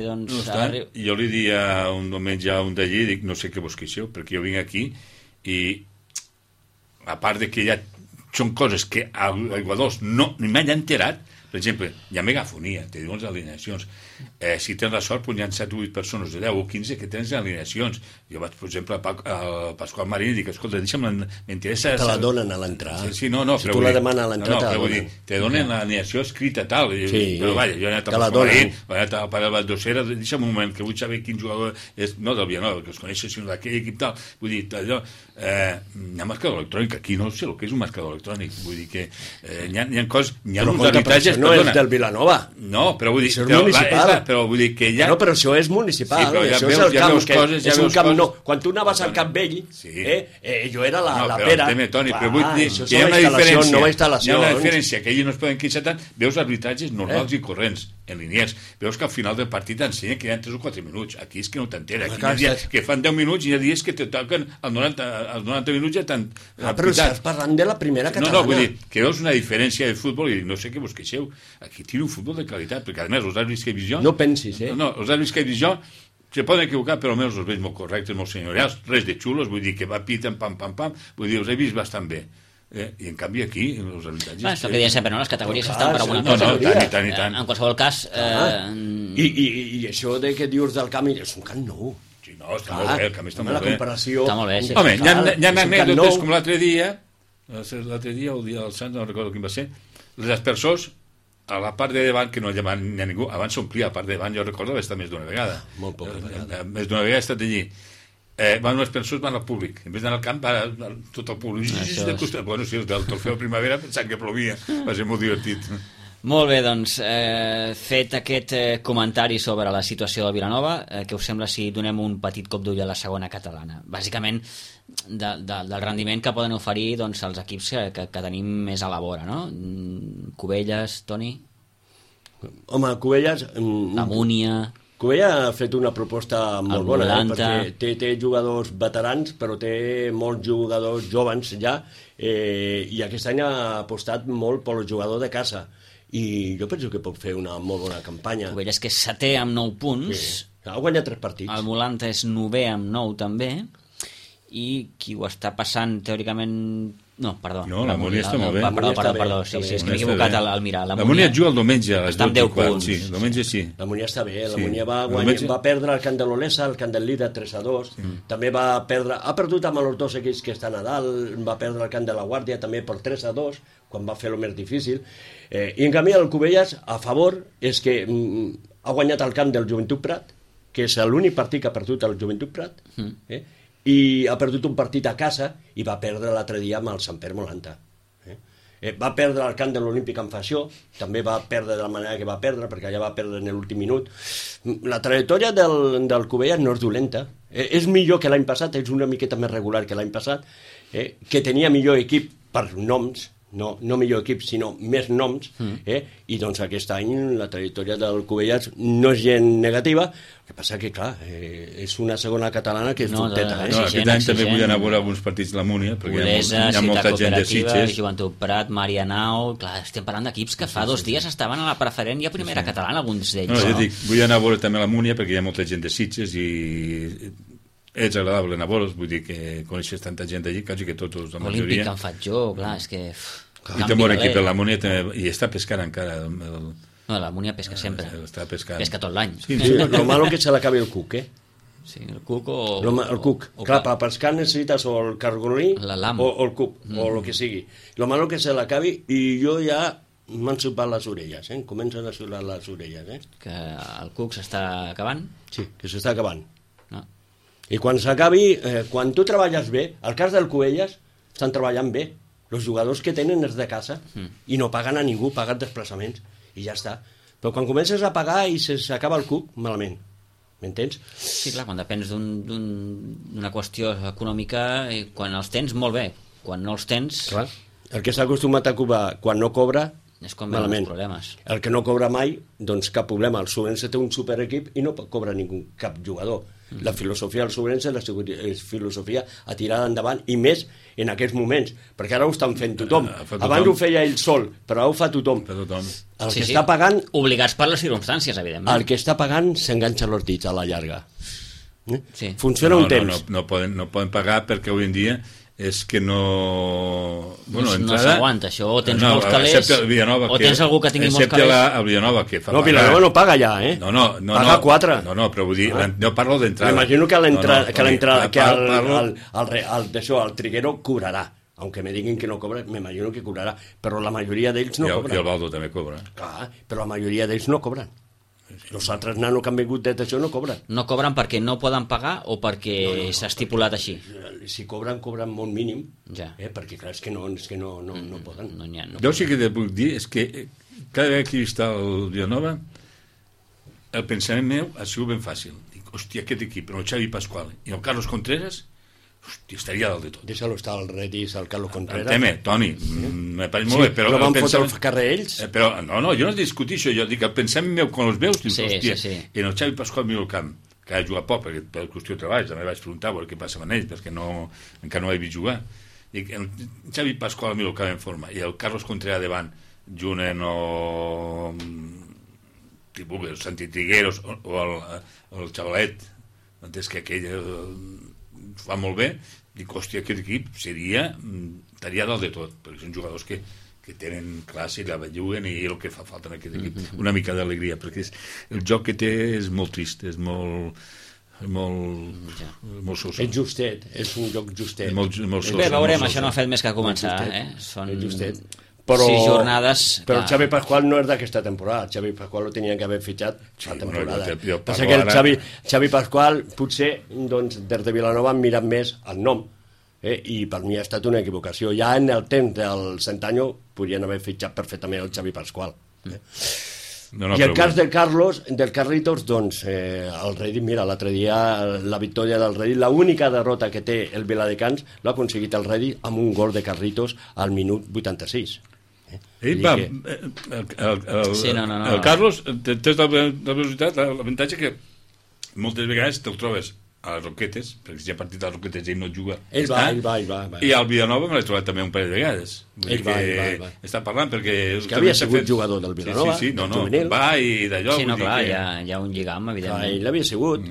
Jo li dia un diumenge a un d'allí, dic, no sé què vos queixeu, perquè jo vinc aquí i a part de que ja són coses que als jugadors ni m'han enterat, per exemple, hi ha megafonia, te diuen les alineacions. Si tens la sort, hi ha 7 o 8 persones de 10 o 15 que tens alineacions. Jo vaig, per exemple, al Pasqual Marín i dic, escolta, m'interessa... Te la donen a l'entrada. Sí, no, si tu la demanes a l'entrada, te la donen. Te donen l'alineació escrita, tal. Però vaja, jo he anat al Pasqual Marín, he anat al Pare Valdocera, deixa'm un moment, que vull saber quin jugador és, no del Vilanova, que els coneixes, sinó d'aquell equip, tal. Vull dir, allò... hi ha marcador electrònic, aquí no sé el que és un marcador electrònic, vull dir que hi ha coses, hi ha uns arbitratges, no és del Vilanova, no, però vull dir, això és municipal, però vull dir que ja... No, però això és municipal, això és el camp, és un camp, no, quan tu anaves al Camp Vell, jo era la pera, però vull dir que hi ha una diferència, que ells no es poden queixar tant, veus arbitratges normals i corrents, en línies, veus que al final del partit t'ensenya que hi ha 3 o 4 minuts, aquí és que no t'entera, aquí hi ha dies que fan 10 minuts i hi ha dies que te toquen als 90 minuts ja t'han... Però estàs parlant de la primera catalana. No, vull dir, que veus una diferència de futbol i no sé què vos queixeu, aquí tira un futbol de qualitat, perquè a més els àrbits que he vist jo... No pensis, No, els àrbits que he vist jo se poden equivocar, però almenys els veig molt correctes, molt senyorials, res de xulos, vull dir que va piten, pam, vull dir, els he vist bastant bé. I en canvi aquí els habitatges... És el que deia sempre, no? Les categories estan per alguna cosa. Tant. En qualsevol cas... I això de que dius del camp és un camp nou. Sí, no, està molt bé, el camp està molt bé. La comparació... Està molt bé, sí. Home, hi ha anècdotes com l'altre dia, o el dia del Sant, no recordo quin va ser, les aspersors, a la part de davant, que no hi ha ningú, abans s'omplia la part de davant, jo recordo haver estat més d'una vegada. Molt poca vegada. Més d'una vegada he estat allí. Van unes persones, van al públic, en vez d'anar al camp va tot el públic bueno, sí, del Trofeu Primavera pensant que plovia, va ser molt divertit. Molt bé, doncs fet aquest comentari sobre la situació de Vilanova, què us sembla si donem un petit cop d'ull a la segona catalana? Bàsicament del rendiment que poden oferir doncs, els equips que tenim més a la vora, no? Cubelles, Toni? Home, Cubelles... La Múnia... Cubella ha fet una proposta molt bona, perquè té jugadors veterans, però té molts jugadors joves ja, i aquest any ha apostat molt pel jugador de casa. I jo penso que pot fer una molt bona campanya. Cubella és que és setè amb 9 punts. Sí. Ha guanyat 3 partits. El Volanta és 9è amb 9 també. I qui ho està passant teòricament... No, perdó. No, la Múnia està molt bé. Perdó, sí, és que m'he equivocat al mirar. La Múnia juga el diumenge a les 12 i quart. Sí, el diumenge sí. La Múnia està bé, la Múnia va perdre el camp de l'Olesa, el camp del Líder 3-2, també ha perdut amb els dos equips que estan a dalt, va perdre el camp de la Guàrdia també per 3-2, quan va fer el més difícil, i en canvi el Cubelles, a favor, és que ha guanyat el camp del Joventut Prat, que és l'únic partit que ha perdut el Joventut Prat, i ha perdut un partit a casa i va perdre l'altre dia amb el Sant Pere Molanta. Va perdre el camp de l'Olímpic en Fació, també va perdre de la manera que va perdre, perquè allà va perdre en l'últim minut. La trajectòria del Cubelles no és dolenta, és millor que l'any passat, és una miqueta més regular que l'any passat, que tenia millor equip per noms, no millor equip, sinó més noms, i doncs aquest any la trajectòria del Cubelles no és gent negativa, el que passa que, clar, és una segona catalana que és dubteta. Aquest any també vull anar a veure alguns partits de la Múnia, perquè hi ha molta gent de Sitges. Joventut Prat, Marianao, clar, estem parlant d'equips que fa 2 dies estaven a la preferent i a primera catalana, alguns d'ells. No, jo dic, vull anar a veure també la Múnia, perquè hi ha molta gent de Sitges i és agradable anar a veure'ls, vull dir que coneixes tanta gent d'allí, quasi que tots, la majoria. Olímpic en faig jo, clar, és que... I té un bon equip, la Múnia també, i està pescant encara. No, la Múnia pesca sempre. Està pescant. Pesca tot l'any. Sí, lo malo que se l'acabi el cuc, Sí, el cuc o... El cuc. Clar, per pescar necessites o el cargolí o el cuc, o el que sigui. Lo malo que se l'acabi, i jo ja m'han supat les orelles, comencen a suar les orelles. Que el cuc s'està acabant? Sí, que s'està acabant. No. I quan s'acabi, quan tu treballes bé, al cas del Cubelles, estan treballant bé. Els jugadors que tenen és de casa i no paguen a ningú, paguen desplaçaments i ja està. Però quan comences a pagar i s'acaba el cuc, malament. M'entens? Sí, clar, quan depens d'una qüestió econòmica, quan els tens, molt bé. Quan no els tens... Clar. El que s'ha acostumat a cobrar quan no cobra, és com malament. Els problemes. El que no cobra mai, doncs cap problema. El Sobrense té un superequip i no cobra ningú, cap jugador. La filosofia del Sobrense és filosofia a tirar endavant, i més en aquests moments, perquè ara ho estan fent tothom. Abans ho feia ell sol, però ara ho fa tothom. El que està pagant... Obligats per les circumstàncies, evidentment. El que està pagant s'enganxa els dits a la llarga. Funciona un temps. No poden pagar perquè avui en dia és que no... Bueno, no s'aguanta, això. O tens molts calés, o tens algú que tingui molts calés. Excepte el Villanova, que fa pagar. No, Villanova no paga ja, Paga 4. No, però vull dir, no parlo d'entrada. M'imagino que el Triguero cobrarà. Aunque me diguin que no cobra, m'imagino que cobrarà. Però la majoria d'ells no cobren. I el Baldo també cobra. Clar, però la majoria d'ells no cobren. Els altres nanos que han vingut d'això no cobren. No cobren perquè no poden pagar o perquè s'ha estipulat així? Si cobren molt mínim, perquè clar, és que no poden. Jo sí que et puc dir és que cada vegada que està el Villanova, el pensament meu ha sigut ben fàcil. Dic, hòstia, aquest equip, el Xavi Pasqual i el Carlos Contreras, hòstia, estaria dalt de tot. Deixa-lo estar al Redis, al Carlos Contreras. El tema, Toni, me pareix molt bé, però... Però van fotre el carrer ells? Però, no, jo no discutir això, jo dic, el pensament meu quan els veus, dius, hòstia, i en el Xavi Pasqual miro el camp, que ha jugat poc, perquè per qüestió de treball, també vaig preguntar què passa amb ells, perquè encara no he vist jugar. Dic, el Xavi Pasqual miro el camp en forma, i el Carlos Contreras davant, junt o... tipus, el Santi Trigueros o el Xavalet, entens que aquell... fa molt bé, dic, hòstia, aquest equip estaria dalt de tot, perquè són jugadors que tenen classe i la belluguen, i el que fa falta en aquest equip, una mica d'alegria, perquè el joc que té és molt trist, és molt soso. És justet, és un joc justet. Molt soso. Bé, veurem, això no ha fet més que començar, són... justet. 6 jornades... Però el Xavi Pasqual no és d'aquesta temporada. El Xavi Pasqual ho tenien que haver fitxat la temporada. Passa que el Xavi Pasqual potser des de Vilanova han mirat més el nom, i per mi ha estat una equivocació. Ja en el temps del Centanyo podrien haver fitxat perfectament el Xavi Pasqual. I el cas del Carlitos, doncs el Redi, mira, l'altre dia la victòria del Redi, l'única derrota que té el Viladecans l'ha aconseguit el Redi amb un gol de Carlitos al minut 86. El Carlos, tens la velocitat, l'avantatge que moltes vegades te'l trobes a les Roquetes, perquè si hi ha partit a les Roquetes ell no juga. Ell va. I al Vilanova me l'he trobat també un parell de vegades. Ell va. Està parlant perquè... És que havia sigut jugador del Vilanova, sí, no, juvenil. va i d'allò... Sí, no, clar, hi ha un lligam, evidentment. Ell havia sigut.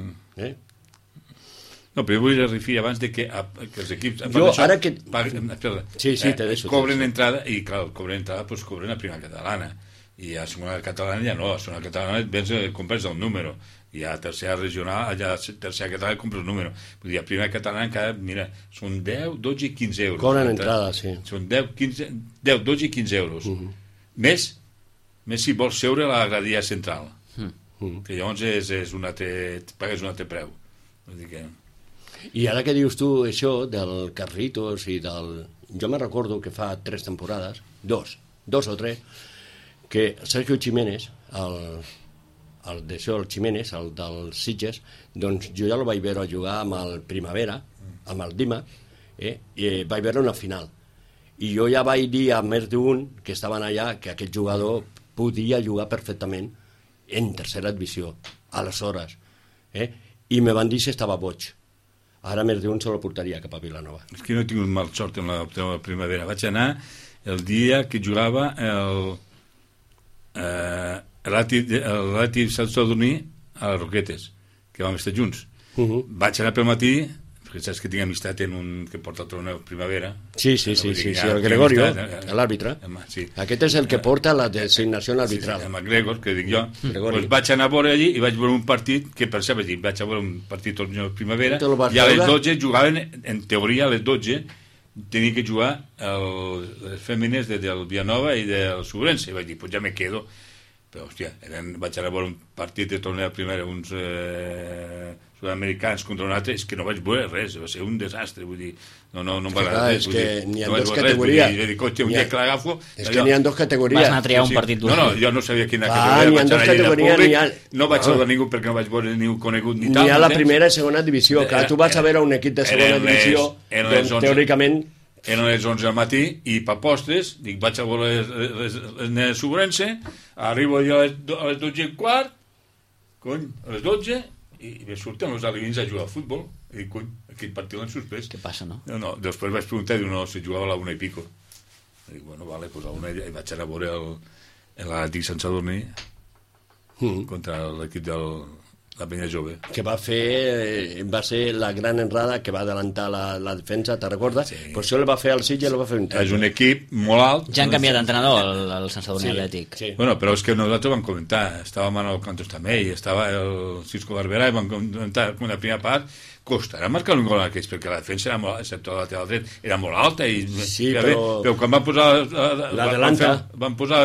No, però jo vull referir abans de que els equips... Jo, ara que... Sí, te deixo. Cobren entrada, i clar, cobren entrada, doncs cobren a primera catalana. I a segona catalana ja no, a segona catalana compres el número. I a tercera regional, allà a tercera catalana compres el número. Vull dir, a primera catalana encara, mira, són 10, 12 i 15 euros. Cobren entrada, sí. Són 10, 12 i 15 euros. Més si vols seure a la gradia central. Que llavors pagues un altre preu. Vull dir que... I ara que dius tu això del Carlitos i del... Jo me recordo que fa 3 temporades, dos o 3, que Sergio Jiménez, el Jiménez, el del Sitges, doncs jo ja el vaig veure jugar amb el Primavera, amb el Dima, i vaig veure una final. I jo ja vaig dir a més d'un que estaven allà que aquest jugador podia jugar perfectament en tercera divisió, aleshores. I me van dir si estava boig. Ara més d'un se lo portaria cap a Vilanova. És que no he tingut mal sort en la Primavera. Vaig anar el dia que jugava el Ràtid Sant Sadurní a les Roquetes, que vam estar junts. Vaig anar pel matí, perquè saps que tinc amistat en un que porta el torneu Primavera. Sí, el Gregorio, l'àrbitre. Sí. Aquest és el que porta la designació arbitral. Sí, el McGregor, que dic jo. Pues vaig anar a veure allí i vaig veure un partit, que per cert vaig a veure un partit torneu Primavera, i a les 12 jugaven, en teoria a les 12, tenia que jugar les fèmines del Vilanova i del Subrense, i vaig dir, pues ja me quedo. Però, hòstia, vaig anar a veure un partit de torneo primera, uns sud-americans contra un altre, és que no vaig veure res, va ser un desastre, vull dir, no em va agradar res. És que n'hi ha dues categories. Un dia que l'agafo... És que n'hi ha dues categories. Vas anar a triar un partit No, jo no sabia quina categoria, vaig anar allà al públic, no vaig saludar ningú perquè no vaig veure ningú conegut ni tal. N'hi ha la primera i segona divisió, clar, tu vas a veure un equip de segona divisió, doncs teòricament... Eren les 11 del matí i per postres, dic, vaig a veure les nenes Subrense, arribo jo a les 12 i quart, a les 12, i me surten els alevins a jugar al futbol, i dic, aquell partit l'han suspès. Què passa, no? No, després vaig preguntar, diu, no, si jugava a la 1 i pico. I dic, bueno, vale, pues a la 1 i vaig anar a veure l'Atlètic Sant Sadurní contra l'equip la penya jove. Que va ser la gran enrada que va adelantar la defensa, te recordes? Sí. Pues això el va fer el Sitges i el va fer un temps. És un equip molt alt. Ja han canviat d'entrenador, el Sant Sadurní Atlètic. Sí. Bueno, però és que nosaltres vam comentar, estava Manol Cantos també, i estava el Cisco Barberà, i vam comentar una primera part, costarà marcar un gol en aquells, perquè la defensa era molt, excepte la lateral dret, era molt alta, i sí, però quan van posar l'adelanta, van posar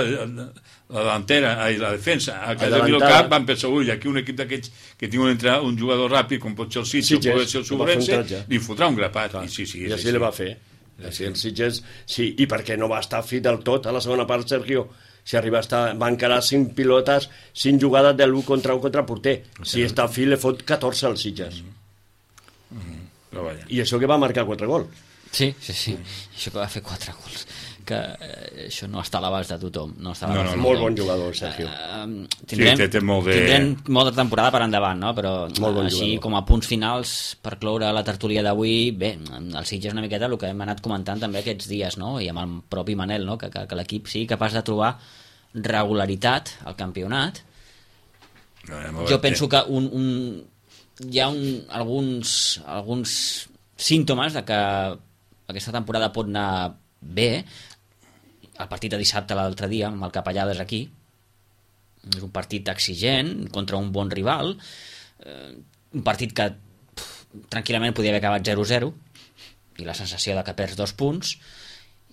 la delantera i la defensa a casa del camp, van pensar, ui, aquí un equip d'aquests que tingui un jugador ràpid com pot ser el Sitges o pot ser el Subrense, li fotrà un grapat. I així li va fer. El Sitges, sí, i perquè no va estar fi del tot a la segona part, Sergio. Si arriba a estar, va encarar 5 pilotes, 5 jugades de l'1 contra 1 contra porter. Si està fi, le fot 14 al Sitges. I això que va marcar 4 gols. Sí. Això que va fer 4 gols. Que això no està a l'abast de tothom. No. Molt bon jugador, Sergio. Tindrem molta temporada per endavant, no? Però així com a punts finals per cloure la tertúlia d'avui, bé, el Sitges una miqueta el que hem anat comentant també aquests dies, no? I amb el propi Manel, no? Que l'equip sigui capaç de trobar regularitat al campionat. Jo penso que hi ha alguns símptomes de que aquesta temporada pot anar bé. El partit de dissabte l'altre dia amb el Capellades aquí és un partit exigent contra un bon rival, un partit que tranquil·lament podia haver acabat 0-0 i la sensació de que perds 2 punts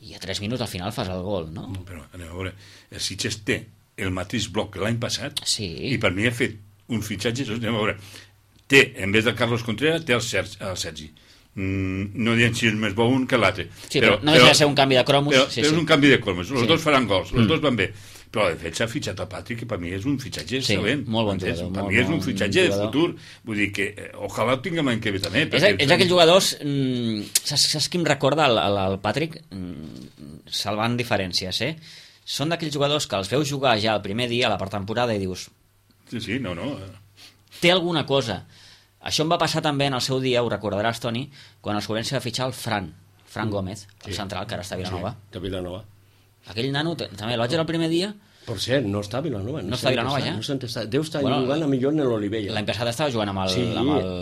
i a 3 minuts al final fas el gol, no? Però anem a veure, el Sitges té el mateix bloc que l'any passat i per mi ha fet un fitxatge, anem a veure, té, en vez de Carlos Contreras, té el Sergi. No diem si és més bo un que l'altre. Sí, però no deixa de ser un canvi de cromos. Però és un canvi de cromos. Els dos faran gols, els dos van bé. Però la defensa ha fitxat a Patrick, que per mi és un fitxatge excel·lent. Molt bon jugador. Per mi és un fitxatge de futur. Vull dir que ojalà ho tinguem l'any que ve també. És aquells jugadors... Saps qui em recorda el Patrick? Salvant diferències, Són d'aquells jugadors que els veus jugar ja el primer dia a la pretemporada i dius... Sí, no. té alguna cosa. Això em va passar també en el seu dia, ho recordaràs, Toni, quan el Sobrense va fitxar el Fran Gómez, el central, que ara està a Vilanova. Sí, de Vilanova. Aquell nano, també el vaig veure el primer dia. Per cert, no està a Vilanova. No està a Vilanova, ja? Deu estar jugant a millor en l'Olivella. L'any passat estava jugant amb el... Sí,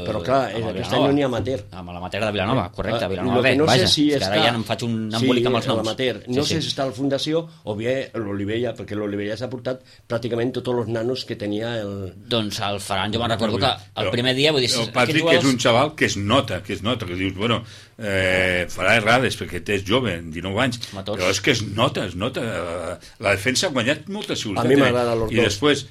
però clar, aquest any no n'hi ha amateur. Amb l'amateur de Vilanova, correcte, Vilanova B, vaja. Si que ara ja em faig un embolic amb els noms. No sé si està a la Fundació o bé l'Olivella, perquè l'Olivella s'ha portat pràcticament tots els nanos que tenia el... Doncs el Ferran, jo me'n recordo que el primer dia... Vull dir, el Patrick és un xaval que es nota, que dius, bueno, farà errades perquè és jove, 19 anys, però és que es nota. La defensa ha guanyat molta seguretat. A mi m'agrada los dos. I després,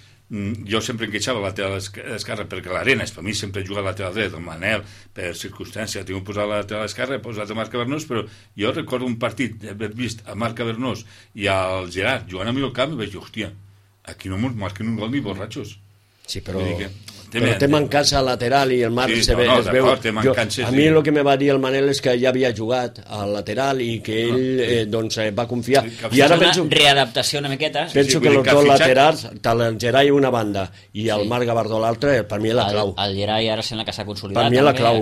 jo sempre enqueixava a lateral esquerra perquè l'Arenas, per mi sempre he jugat a lateral dret, el Manel, per circumstància, tinc posat a lateral esquerra, he posat a Marc Cavernós, però jo recordo un partit d'haver vist a Marc Cavernós i al Gerard jugant a mi al camp i vaig dir, hòstia, aquí no ens marquen un gol ni borratxos. Sí, però té mancança lateral i el Marc es veu. A mi el que me va dir el Manel és que ja havia jugat al lateral i que ell va confiar. I ara penso... Una readaptació una miqueta. Penso que els dos laterals, tant el Gerai una banda i el Marc Gavardó l'altra, per mi és la clau. El Gerai ara sembla que s'ha consolidat. Per mi és la clau.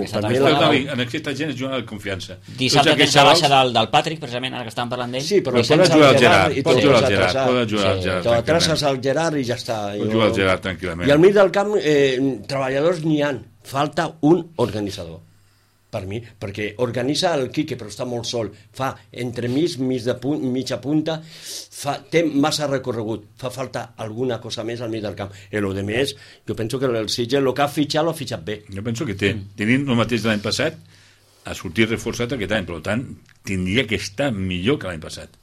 En aquesta gent és jugar de confiança. Dissabte tens la baixa del Patrick, precisament, ara que estàvem parlant d'ell. Sí, però pot jugar el Gerard. Pot jugar el Gerard. Te traces al Gerard i ja està. Pot jugar el Gerard tranquil·lament. I al mig del camp treballadors n'hi ha, falta un organitzador per mi, perquè organitza el Quique però està molt sol, fa entremig mitja punta, té massa recorregut, fa falta alguna cosa més al mig del camp, i el de més jo penso que el Sitges, el que ha fitxat l'ha fitxat bé. Jo penso que tenint el mateix de l'any passat ha sortit reforçat aquest any, per tant tindria que estar millor que l'any passat.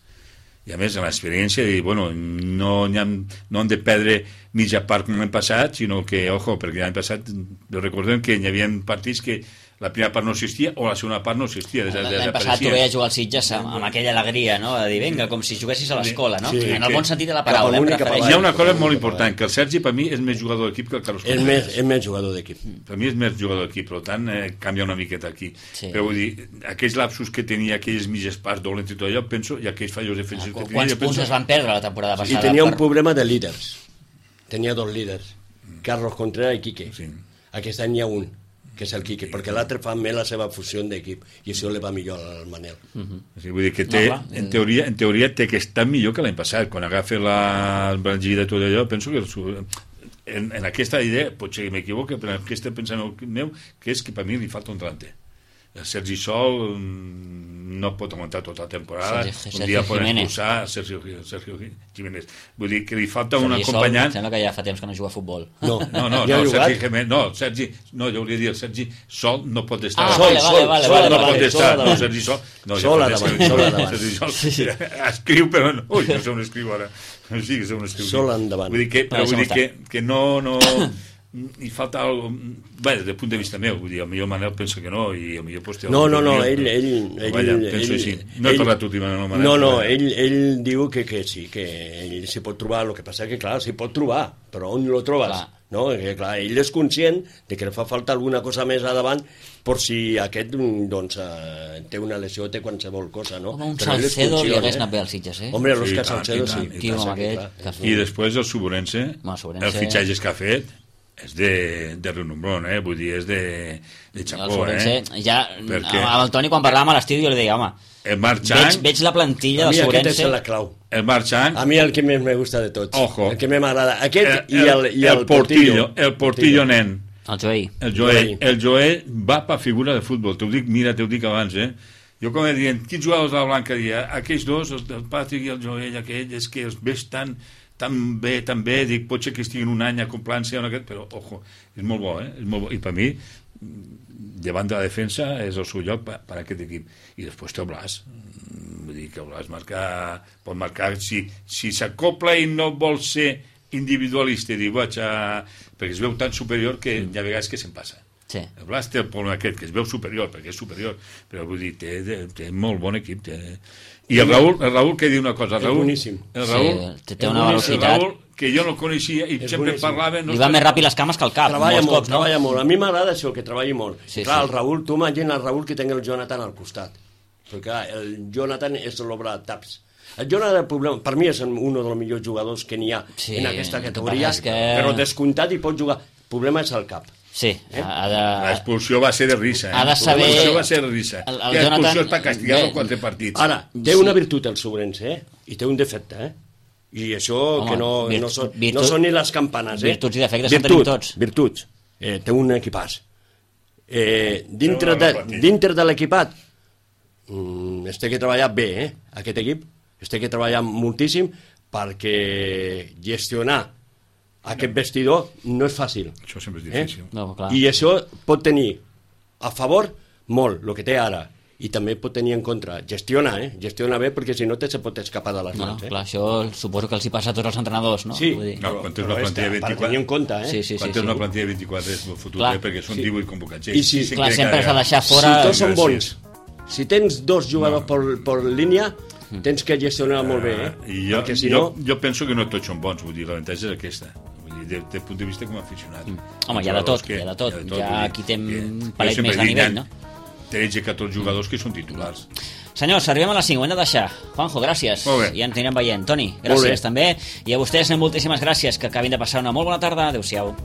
I a més, l'experiència de dir, bueno, no hem de perdre mitja part com l'any passat, sinó que, ojo, perquè l'any passat recordem que hi havia partits que la primera part no existia o la segona part no existia. L'any passat tu veies jugar al Sitges amb aquella alegria, no? De dir, vinga, com si juguessis a l'escola, no? En el bon sentit de la paraula. Hi ha una cosa molt important, que el Sergi per mi és més jugador d'equip que el Carlos Contreras. És més jugador d'equip. Per mi és més jugador d'equip, per tant canvia una miqueta aquí. Però vull dir, aquells lapsus que tenia, aquelles mitges parts dolents i tot allò, penso, i aquells fallos defensius que tenia... Quants punts es van perdre la temporada passada? I tenia un problema de líders. Tenia dos líders, Carlos Contreras i Quique. Aquest any hi ha un, que és el Quique, perquè l'altre fa més la seva fusió d'equip i això li va millor al Manel. Vull dir que en teoria té que estar millor que l'any passat. Quan agafa el Brangida i tot allò, penso que en aquesta idea, potser que m'equivoque, però en aquest pensament meu, que és que per mi li falta un delanter. El Sergi Sol no pot aguantar tota la temporada. Un dia poden expulsar Sergio Jiménez. Vull dir que li falta un acompanyant. Sembla que ja fa temps que no juga a futbol. No, Sergi Jiménez, jo hauria de dir, el Sergi Sol no pot estar. Sol no pot estar. No, Sergi Sol. Sol a davant. Sergi Sol escriu, però no. Ui, no sé on escriu ara. Sí, que sé on escriu. Sol endavant. Vull dir que no... i falta algo, bé, des del punt de vista meu, vull dir, el millor Manel pensa que no i el millor Postiol... No, ell penso així, no he parlat últimament amb el Manel. No, ell diu que sí, que ell s'hi pot trobar, el que passa que clar, s'hi pot trobar, però on lo trobes? No? Que, clar, ell és conscient de que li fa falta alguna cosa més a davant per si aquest doncs, té una lesió o té qualsevol cosa, no? Home, un Salcedo li hagués anat bé als Sitges, eh? Hombre, l'Òscar Salcedo sí. I després el Suborense, els fitxatges que ha fet és de renombrón, vull dir, és de xapó, ja, perquè... amb el Toni quan parlàvem a l'estiu jo li deia, home, el Marc Chang, veig la plantilla del Suborense. A mi aquest és la clau. El Marc Chang, a mi el que més me gusta de tots. Ojo. El que més m'agrada. Aquest i el Portillo. El Portillo nen. El Joel va per figura de futbol. T'ho dic abans, Jo com dient, quins jugadors de la Blanca dia? Aquells dos, el Patrick i el Joel, aquell, és que els veig tan bé, dic, potser que estiguin un any acoplant-se, però, ojo, és molt bo, És molt bo. I per mi, davant de la defensa, és el seu lloc per a aquest equip. I després té el Blas. Vull dir que el Blas pot marcar, si s'acopla i no vol ser individualista, i dir, perquè es veu tan superior que hi ha vegades que se'n passa. Sí. El Blas té el problema aquest, que es veu superior, perquè és superior, però vull dir, té molt bon equip. I el Raül que diu una cosa, és boníssim. Té una velocitat. El Raül, que jo no coneixia i sempre parlava... Li va més ràpid les cames que el cap. Treballa molt. A mi m'agrada això, que treballi molt. Clar, el Raül, tu imagina el Raül que tingui el Jonathan al costat. Perquè el Jonathan és l'obra de taps. El Jonathan, per mi, és un dels millors jugadors que n'hi ha en aquesta categoria, però descomptat i pot jugar. problema és el cap. Sí, ha de... L'expulsió va ser de risa. Ha de saber... L'expulsió va ser de risa. L'expulsió és per castigar-lo 4 partits. Ara, té una virtut el Sobrense, I té un defecte, I això que no són ni les campanes, Virtuts i defectes en tenim tots. Virtuts. Té un equipàs. Dintre de l'equipat es té que treballar bé, aquest equip. Es té que treballar moltíssim perquè gestionar aquest vestidor no és fàcil. Això sempre és difícil. No, clar. I això pot tenir a favor molt, el que té ara, i també pot tenir en contra. Gestiona bé, perquè si no se pot escapar de les mans. Clar, això suposo que els hi passa a tots els entrenadors, no? Sí, quan tens una plantilla de 24... per tenir en compte, Quan tens una plantilla de 24 és fotut, perquè són 18 convocats. I si, clar, sempre s'ha de deixar fora... Si tots són bons, si tens 2 jugadors per línia, tens que gestionar molt bé, perquè si no... Jo penso que no tots són bons, vull dir, l'avantatge és aquesta. Des del punt de vista com a aficionat. Home, hi ha de tot. Hi ha qui té un palet més de nivell, no? 13-14 jugadors que són titulars. Senyors, arribem a les 5, ho hem de deixar. Juanjo, gràcies. I ens anirem veient. Toni, gràcies també. I a vostès moltíssimes gràcies. Que acabin de passar una molt bona tarda. Adéu-siau.